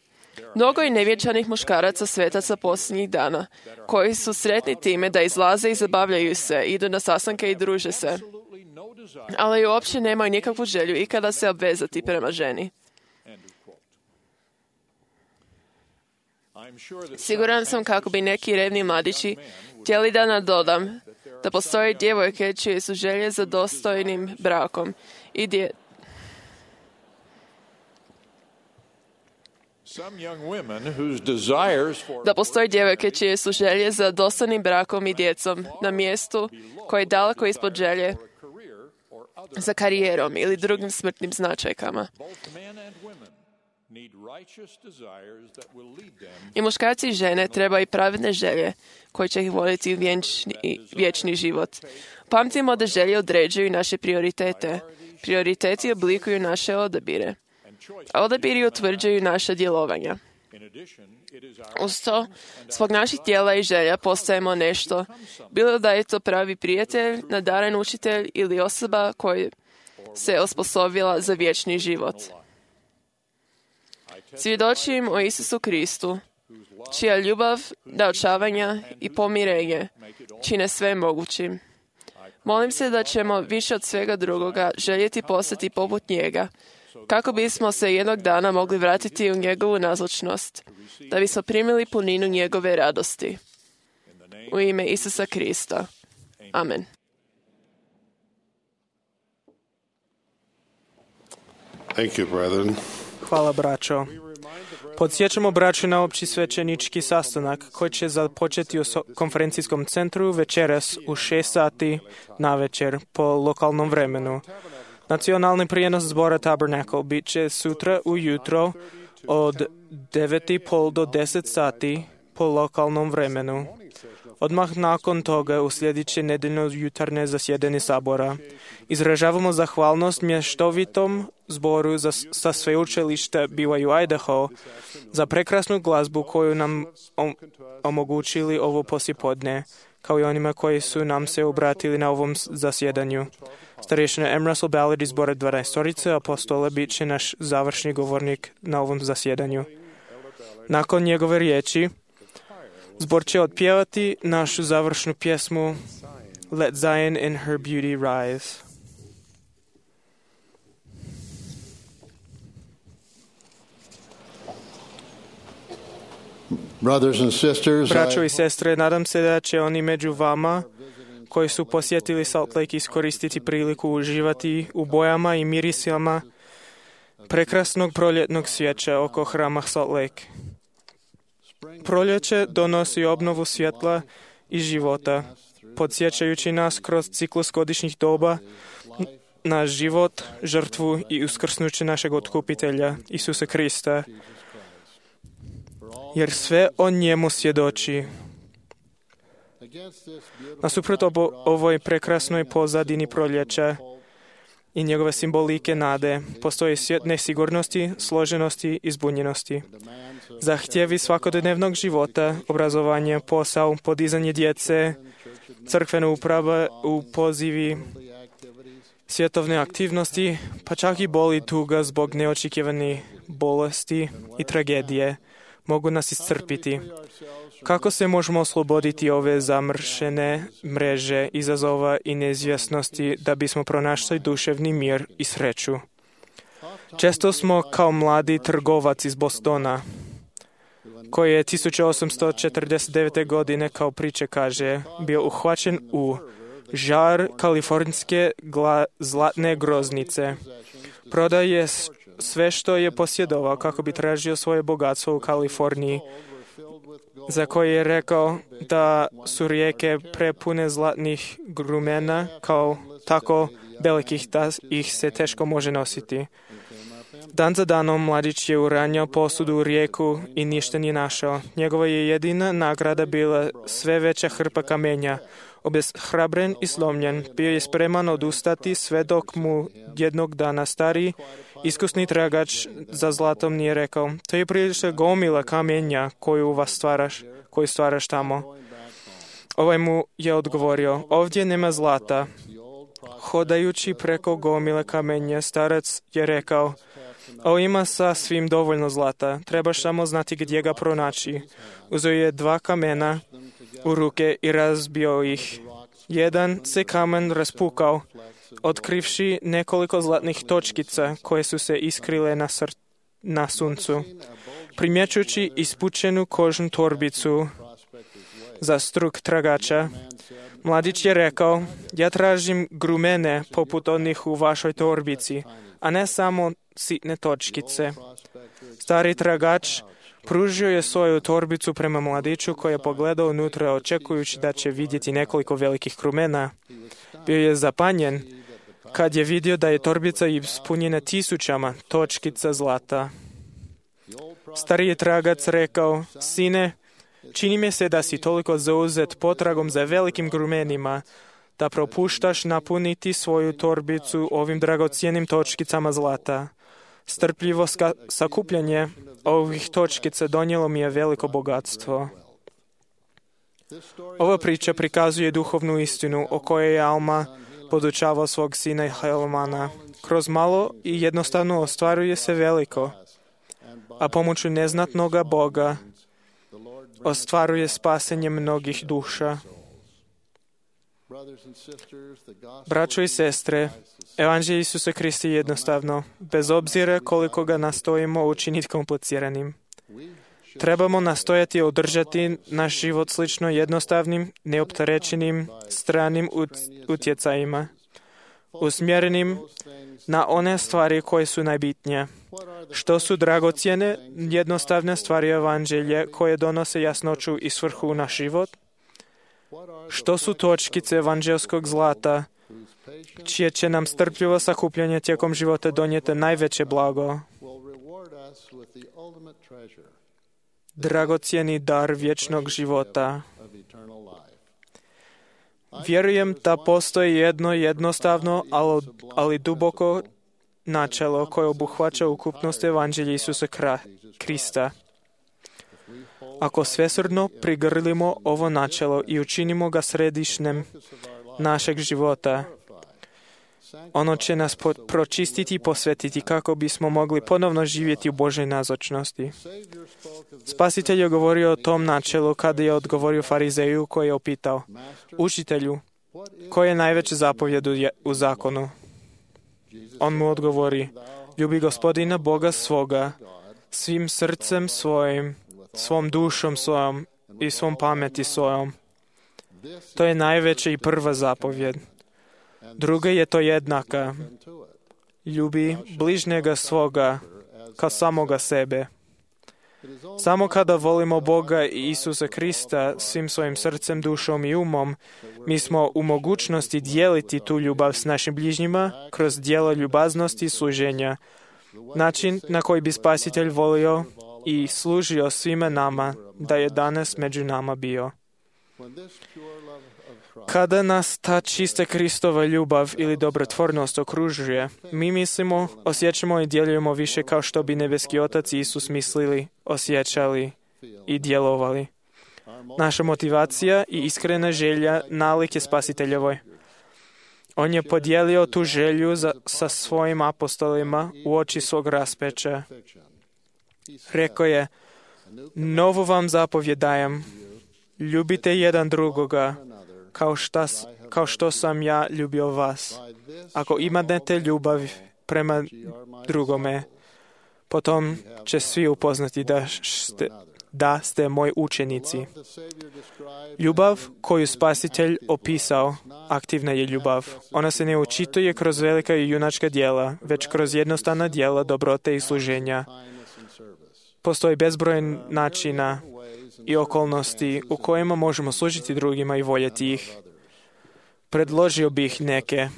Mnogo je nevjenčanih muškaraca svetaca posljednjih dana, koji su sretni time da izlaze i zabavljaju se, idu na sastanke i druže se, ali uopće nemaju nikakvu želju ikada se obvezati prema ženi. Siguran sam kako bi neki revni mladići htjeli da nadodam da postoje djevojke čije su želje za dostojnim brakom i dje... Da postoje djevojke čije su želje za dostojnim brakom i djecom na mjestu koje je daleko ispod želje za karijerom ili drugim smrtnim značajkama. I muškarci i žene trebaju pravedne želje koje će ih voditi u vječni, vječni život. Pamtimo da želje određuju naše prioritete. Prioriteti oblikuju naše odabire. A odabiri utvrđuju naša djelovanja. Uz to, zbog naših tijela i želja postajemo nešto, bilo da je to pravi prijatelj, nadaren učitelj ili osoba koja se osposobila za vječni život. Svjedočim o Isusu Kristu, čija ljubav, naočavanja i pomirenje čine sve mogućim. Molim se da ćemo više od svega drugoga željeti postati poput njega, kako bismo se jednog dana mogli vratiti u njegovu nazočnost, da bismo primili puninu njegove radosti. U ime Isusa Krista. Amen. Thank you, brethren. Hvala, braćo. Podsjećamo braću na opći svećenički sastanak koji će započeti u konferencijskom centru večeras u šest sati na večer po lokalnom vremenu. Nacionalni prijenos zbora Tabernacle bit će sutra ujutro od devet i pol do deset sati po lokalnom vremenu. Odmah nakon toga uslijedit će nedeljno jutarnje zasjedanje sabora. Izražavamo zahvalnost mještovitom zboru za, sa sveučilišta B Y U Idaho za prekrasnu glazbu koju nam om, omogućili ovo poslijepodne, kao i onima koji su nam se obratili na ovom zasjedanju. Starješina M. Russell Ballard iz zbora dvanaestorice apostola bit će naš završni govornik na ovom zasjedanju. Nakon njegove riječi, zbor će otpjevati našu završnu pjesmu Let Zion in her beauty rise. Braćo i sestre, nadam se da će oni među vama koji su posjetili Salt Lake iskoristiti priliku uživati u bojama i mirisima prekrasnog proljetnog svijeća oko hrama Salt Lake. Proljeće donosi obnovu svjetla i života, podsjećajući nas kroz ciklus godišnjih doba na život, žrtvu i uskrsnuće našeg otkupitelja, Isusa Krista, jer sve o njemu svjedoči. Nasuprot obo, ovoj prekrasnoj pozadini proljeća i njegove simbolike nade, postoji svijet nesigurnosti, složenosti i zbunjenosti. Zahtjevi svakodnevnog života, obrazovanje, posao, podizanje djece, crkvena uprava u pozivi, svjetovne aktivnosti, pa čak i boli tuga zbog neočekivane bolesti i tragedije mogu nas iscrpiti. Kako se možemo osloboditi ove zamršene mreže izazova i neizvjesnosti da bismo pronašli duševni mir i sreću? Često smo kao mladi trgovac iz Bostona, koji je tisuću osamsto četrdeset devete. godine, kao priče kaže, bio uhvaćen u žar kalifornijske gla, zlatne groznice. Prodaje sve što je posjedovao kako bi tražio svoje bogatstvo u Kaliforniji, za koje je rekao da su rijeke prepune zlatnih grumena, kao tako velikih da ih se teško može nositi. Dan za danom mladić je uranjao posudu u rijeku i ništa nije našao. Njegova je jedina nagrada bila sve veća hrpa kamenja. Obeshrabren i slomljen, bio je spreman odustati sve dok mu jednog dana stari, iskusni tragač za zlatom nije rekao: to je prilična gomila kamenja koju vas stvaraš, koju stvaraš tamo. Ovaj mu je odgovorio: ovdje nema zlata. Hodajući preko gomile kamenja, starac je rekao: ovo ima sasvim dovoljno zlata, trebaš samo znati gdje ga pronaći. Uzeo je dva kamena u ruke i razbio ih. Jedan se kamen raspukao, otkrivši nekoliko zlatnih točkica koje su se iskrile na, sr- na suncu. Primjećujući ispučenu kožnu torbicu za struk tragača, mladić je rekao: ja tražim grumene poput onih u vašoj torbici, a ne samo sitne točkice. Stari tragač pružio je svoju torbicu prema mladiću koji je pogledao unutra očekujući da će vidjeti nekoliko velikih krumena. Bio je zapanjen kad je vidio da je torbica ispunjena tisućama točkica zlata. Stariji tragac rekao, sine, čini mi se da si toliko zauzet potragom za velikim krumenima, da propuštaš napuniti svoju torbicu ovim dragocjenim točkicama zlata. Strpljivo ska- sakupljanje ovih točkica donijelo mi je veliko bogatstvo. Ova priča prikazuje duhovnu istinu o kojoj je Alma podučavao svog sina Helmana. Kroz malo i jednostavno ostvaruje se veliko, a pomoću neznatnoga Boga ostvaruje spasenje mnogih duša. Braćo i sestre, Evanđelje Isusa Krista je jednostavno, bez obzira koliko ga nastojimo učiniti kompliciranim. Trebamo nastojati održati naš život slično jednostavnim, neopterećenim, stranim utjecajima, usmjerenim na one stvari koje su najbitnije. Što su dragocjene, jednostavne stvari Evanđelja koje donose jasnoću i svrhu u naš život? Što su točkice evanđelskog zlata, čije će nam strpljivo sakupljanje tijekom života donijeti najveće blago? Dragocjeni dar vječnog života. Vjerujem da postoji jedno jednostavno, ali duboko načelo koje obuhvaća ukupnost Evanđelja Isusa Krista. Ako svesrdno prigrlimo ovo načelo i učinimo ga središnjem našeg života, ono će nas po- pročistiti i posvetiti kako bismo mogli ponovno živjeti u Božoj nazočnosti. Spasitelj je govorio o tom načelu kada je odgovorio farizeju koji je opitao, učitelju, koje je najveće zapovjed u zakonu? On mu odgovori, ljubi Gospodina Boga svoga, svim srcem svojim, svom dušom svojom i svom pameti svojom. To je najveća i prva zapovjed. Druga je to jednaka. Ljubi bližnjega svoga kao samoga sebe. Samo kada volimo Boga i Isusa Krista svim svojim srcem, dušom i umom, mi smo u mogućnosti dijeliti tu ljubav s našim bližnjima kroz djelo ljubaznosti i služenja. Način na koji bi Spasitelj volio i služio svima nama da je danas među nama bio. Kada nas ta čista Kristova ljubav ili dobrotvornost okružuje, mi mislimo, osjećamo i djelujemo više kao što bi nebeski Otac i Isus mislili, osjećali i djelovali. Naša motivacija i iskrena želja nalik je Spasiteljevoj. On je podijelio tu želju za, sa svojim apostolima u oči svog raspeća. Rekao je, novu vam zapovjed dajem, ljubite jedan drugoga, kao, šta, kao što sam ja ljubio vas. Ako imate ljubav prema drugome, potom će svi upoznati da ste, da ste moji učenici. Ljubav koju Spasitelj opisao, aktivna je ljubav. Ona se ne očituje kroz velika i junačka djela, već kroz jednostavna djela dobrote i služenja. Postoji bezbroj načina i okolnosti u kojima možemo služiti drugima i voljeti ih. Predložio bih neke.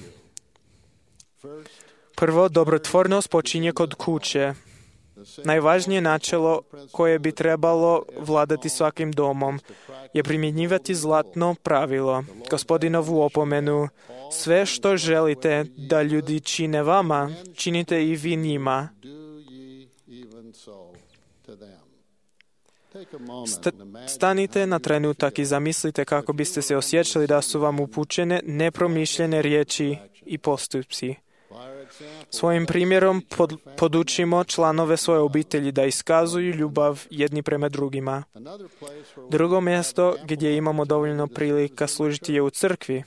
Prvo, dobrotvornost počinje kod kuće. Najvažnije načelo koje bi trebalo vladati svakim domom je primjenjivati zlatno pravilo, Gospodinovu opomenu. Sve što želite da ljudi čine vama, činite i vi njima. St- stanite na trenutak i zamislite kako biste se osjećali da su vam upućene nepromišljene riječi i postupci. Svojim primjerom pod, podučimo članove svoje obitelji da iskazuju ljubav jedni prema drugima. Drugo mjesto gdje imamo dovoljno prilika služiti je u crkvi.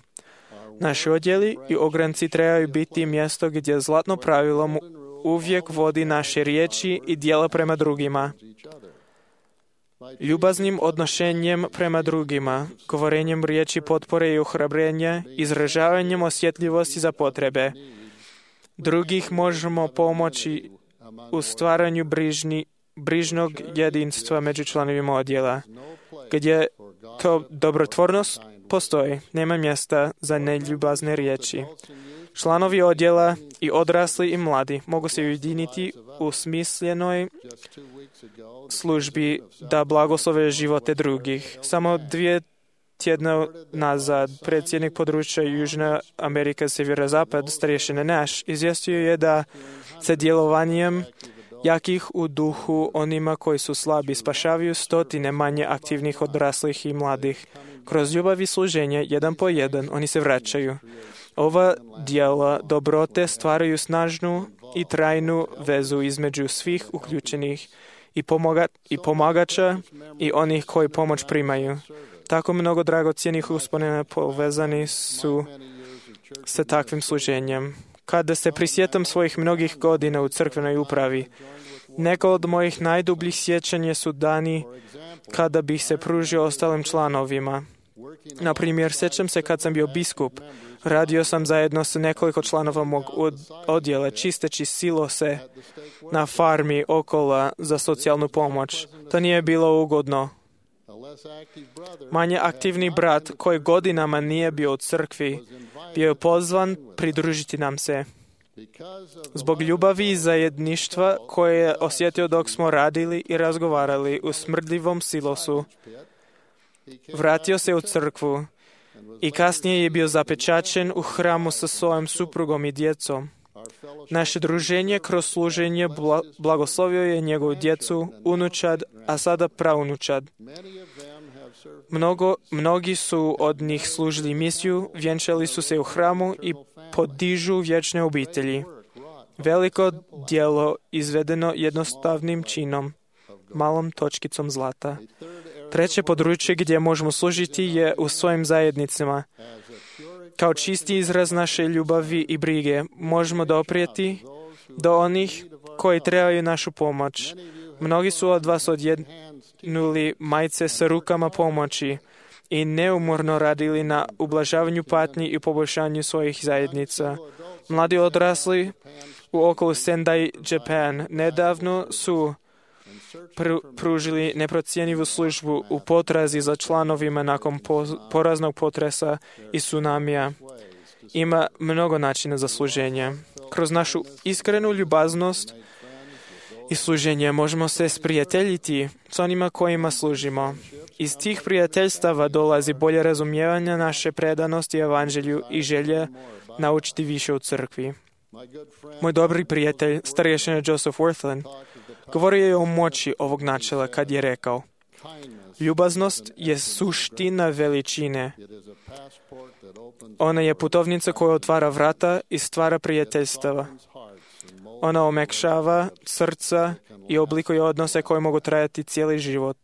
Naši odjeli i ogranci trebaju biti mjesto gdje zlatno pravilo uvijek vodi naše riječi i djela prema drugima. Ljubaznim odnošenjem prema drugima, govorenjem riječi potpore i ohrabrenja, izražavanjem osjetljivosti za potrebe drugih možemo pomoći u stvaranju brižni brižnog jedinstva među članovima odjela. Gdje to dobrotvornost postoji, nema mjesta za neljubazne riječi. Članovi odjela i odrasli i mladi mogu se ujediniti u smislenoj službi da blagoslove živote drugih. Samo dvije tjedna nazad predsjednik područja Južna Amerika Sjeverozapad, starješina Nash, izvijestio je da se djelovanjem jakih u duhu onima koji su slabi spašavaju stotine manje aktivnih odraslih i mladih. Kroz ljubav i služenje, jedan po jedan, oni se vraćaju. Ova djela dobrote stvaraju snažnu i trajnu vezu između svih uključenih i, pomoga, i pomagača i onih koji pomoć primaju. Tako mnogo dragocjenih uspomena povezani su sa takvim služenjem. Kada se prisjetam svojih mnogih godina u crkvenoj upravi, neka od mojih najdubljih sjećanja su dani kada bih se pružio ostalim članovima. Na primjer, sjećam se kad sam bio biskup. Radio sam zajedno sa nekoliko članova mog odjela, čisteći silose na farmi okolo za socijalnu pomoć. To nije bilo ugodno. Manje aktivni brat, koji godinama nije bio u crkvi, bio je pozvan pridružiti nam se. Zbog ljubavi i zajedništva koje je osjetio dok smo radili i razgovarali u smrdljivom silosu, vratio se u crkvu i kasnije je bio zapečaćen u hramu sa svojom suprugom i djecom. Naše druženje kroz služenje blagoslovio je njegovu djecu, unučad, a sada praunučad. Mnogo, mnogi su od njih služili misiju, vjenčali su se u hramu i podižu vječne obitelji. Veliko djelo izvedeno jednostavnim činom, malom točkicom zlata. Treće područje gdje možemo služiti je u svojim zajednicama. Kao čisti izraz naše ljubavi i brige možemo doprijeti do onih koji trebaju našu pomoć. Mnogi su od vas odjednuli majice sa rukama pomoći i neumorno radili na ublažavanju patnji i poboljšanju svojih zajednica. Mladi odrasli u okolu Sendai, Japan, nedavno su pr- pružili neprocjenjivu službu u potrazi za članovima nakon po- poraznog potresa i tsunamija. Ima mnogo načina za služenje. Kroz našu iskrenu ljubaznost i služenje možemo se sprijateljiti s onima kojima služimo. Iz tih prijateljstava dolazi bolje razumijevanje naše predanosti evanđelju i želje naučiti više u crkvi. Moj dobri prijatelj, starješina Joseph Worthland, govorio je o moći ovog načela kad je rekao: ljubaznost je suština veličine. Ona je putovnica koja otvara vrata i stvara prijateljstava. Ona omekšava srca i oblikuje odnose koje mogu trajati cijeli život.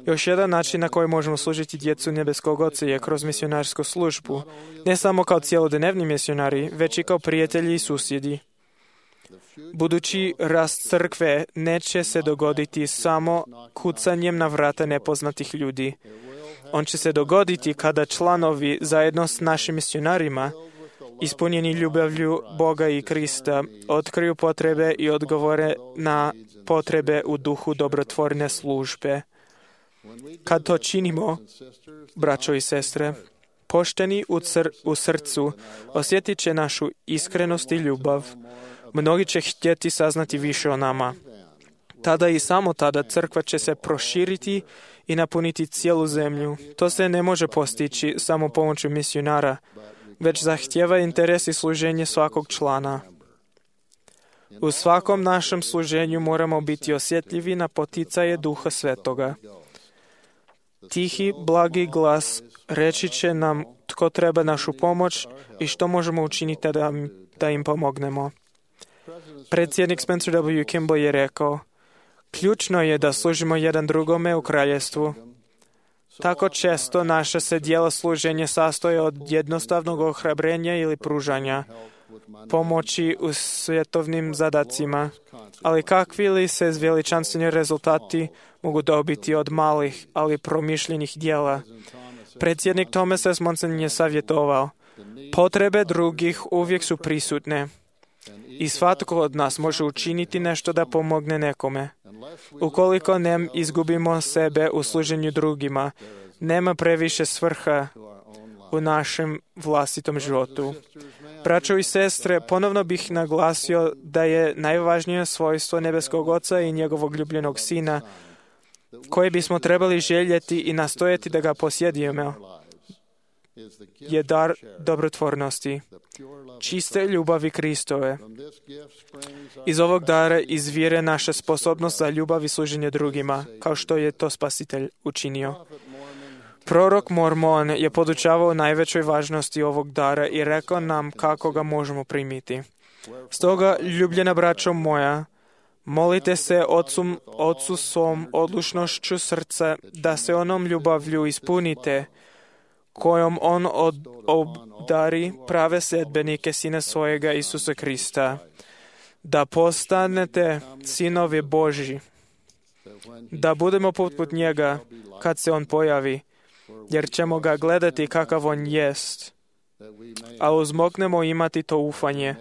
Još jedan način na koji možemo služiti djecu nebeskog Oca je kroz misionarsku službu, ne samo kao cijelodnevni misionari, već i kao prijatelji i susjedi. Budući rast crkve neće se dogoditi samo kucanjem na vrata nepoznatih ljudi. On će se dogoditi kada članovi zajedno s našim misionarima, ispunjeni ljubavlju Boga i Krista, otkriju potrebe i odgovore na potrebe u duhu dobrotvorne službe. Kad to činimo, braćo i sestre, pošteni u, cr- u srcu osjetit će našu iskrenost i ljubav. Mnogi će htjeti saznati više o nama. Tada i samo tada crkva će se proširiti i napuniti cijelu zemlju. To se ne može postići samo pomoću misionara, već zahtjeva interes i služenje svakog člana. U svakom našem služenju moramo biti osjetljivi na poticaje Duha Svetoga. Tihi, blagi glas reći će nam tko treba našu pomoć i što možemo učiniti da, da im pomognemo. Predsjednik Spencer W. Kimball je rekao: ključno je da služimo jedan drugome u kraljevstvu. Tako često naše se dijela služenja sastoje od jednostavnog ohrabrenja ili pružanja pomoći u svjetovnim zadacima. Ali kakvi li se veličanstveni rezultati mogu dobiti od malih, ali promišljenih dijela? Predsjednik Thomas S. Monson je savjetovao: potrebe drugih uvijek su prisutne I svatko od nas može učiniti nešto da pomogne nekome. Ukoliko ne izgubimo sebe u služenju drugima, nema previše svrha u našem vlastitom životu. Braćo i sestre, ponovno bih naglasio da je najvažnije svojstvo nebeskog Oca i njegovog ljubljenog Sina, koje bismo trebali željeti i nastojati da ga posjedimo, je dar dobrotvornosti, čiste ljubavi Kristove. Iz ovog dara izvire naša sposobnost za ljubav i služenje drugima, kao što je to Spasitelj učinio. Prorok Mormon je podučavao najvećoj važnosti ovog dara i rekao nam kako ga možemo primiti. Stoga, ljubljena braćo moja, molite se Otcu, Otcu svom odlučnošću srca da se onom ljubavlju ispunite, kojom on od, obdari prave sledbenike Sina svojega Isusa Krista, da postanete sinovi Božji, da budemo poput njega kad se on pojavi, jer ćemo ga gledati kakav on jest, a uzmoknemo imati to ufanje,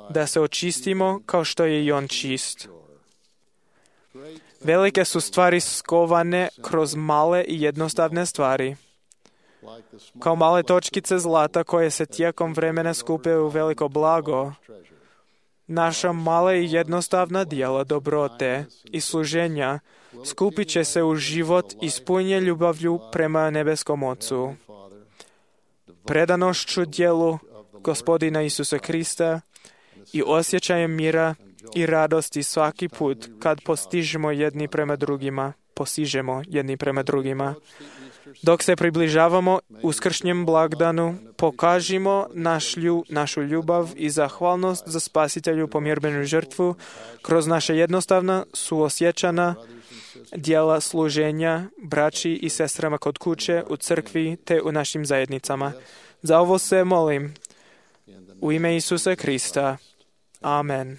da se očistimo kao što je i on čist. Velike su stvari skovane kroz male i jednostavne stvari, kao male točkice zlata koje se tijekom vremena skupe u veliko blago. Naša mala i jednostavna djela dobrote i služenja skupit će se u život ispunjen ljubavlju prema nebeskom Ocu, predanošću djelu Gospodina Isusa Krista i osjećajem mira i radosti svaki put kad postižemo jedni prema drugima, posižemo jedni prema drugima. Dok se približavamo uskršnjem blagdanu, pokažimo našlju, našu ljubav i zahvalnost za Spasitelju pomirbenu žrtvu kroz naše jednostavna, suosjećana djela služenja braći i sestrama kod kuće, u crkvi te u našim zajednicama. Za ovo se molim u ime Isusa Krista. Amen.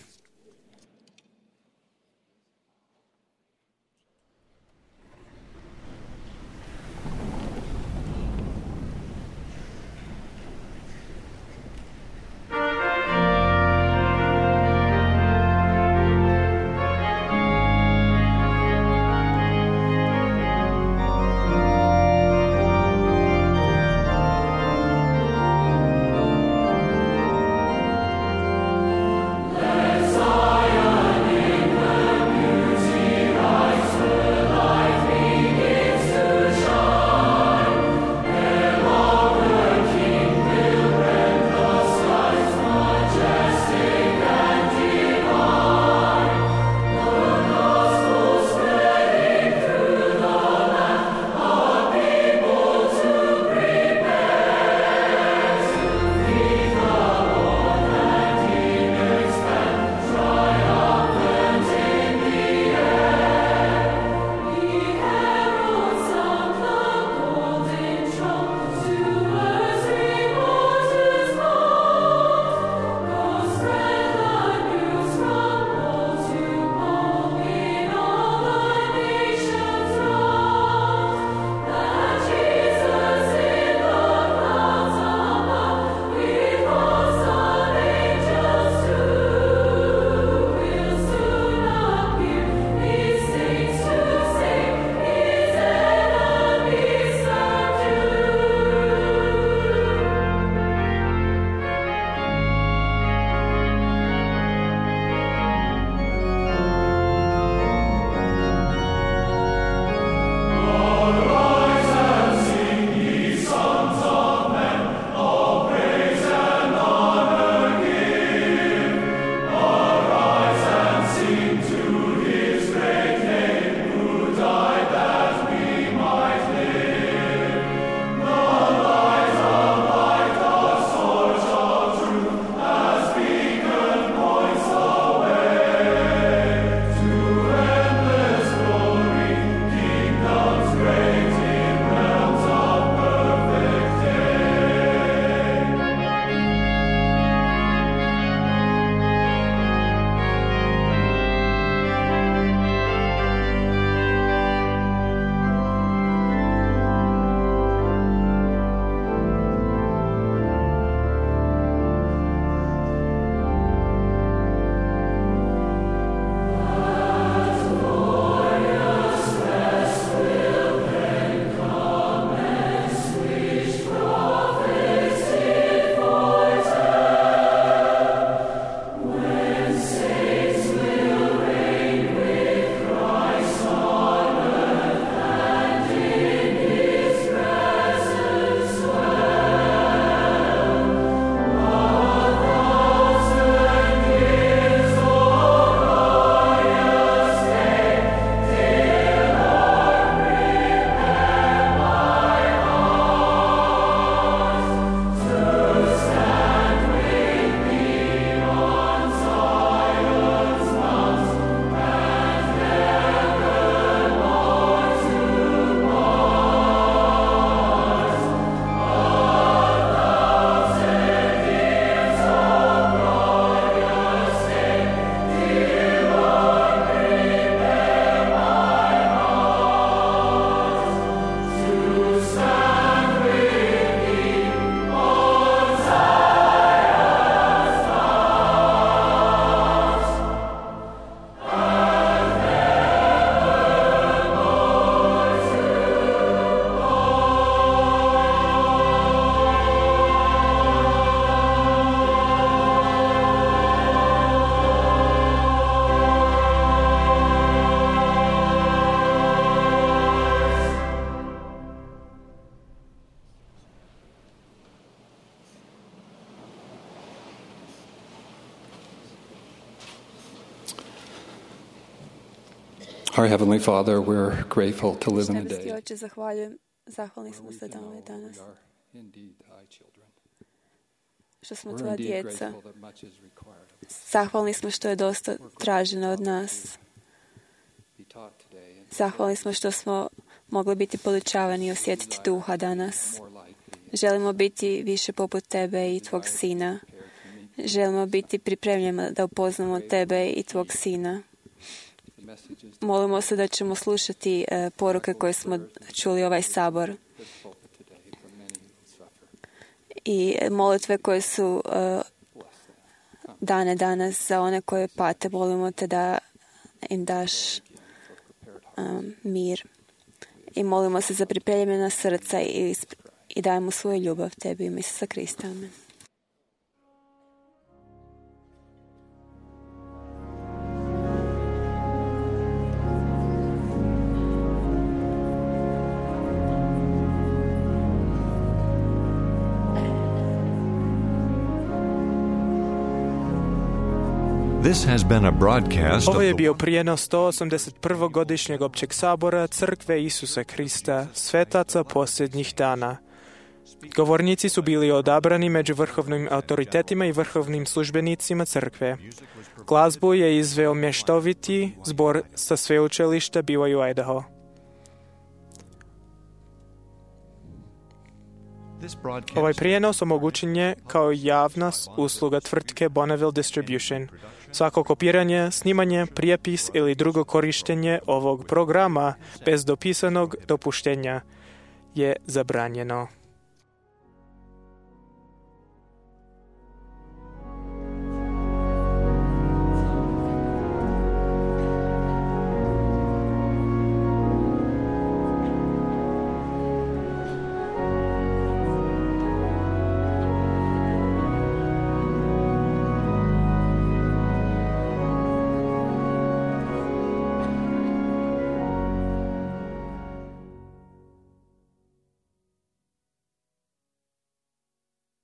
Bless Our Heavenly Father, we're grateful to live in a Nebeský day Oče, zahvaljujem, zahvalni smo se da ovaj danas, što smo tvoja djeca. Zahvalni smo što je dosta traženo od nas. Zahvalni smo što smo mogli biti podučavani i osjetiti duha danas. Želimo biti više poput tebe i tvog sina. Želimo biti pripremljeni da upoznamo tebe i tvog sina. Molimo se da ćemo slušati uh, poruke koje smo čuli ovaj sabor. I molitve koje su uh, dane danas za one koje pate. Molimo te da im daš um, mir. I molimo se za pripremljena srca i, i dajemo svoju ljubav tebi i Isusa Krista. Amen. This has been a broadcast Ovo je of bio prijenos sto osamdeset prvog godišnjeg općeg sabora Crkve Isusa Krista, svetaca posljednjih dana. Govornici su bili odabrani među vrhovnim autoritetima i vrhovnim službenicima crkve. Glazbu je izveo mještoviti zbor sa sveučilišta B Y U Idaho. Ovaj prijenos omogućen je kao javna usluga tvrtke Bonneville Distribution. Svako kopiranje, snimanje, prijepis ili drugo korištenje ovog programa bez dopisanog dopuštenja je zabranjeno.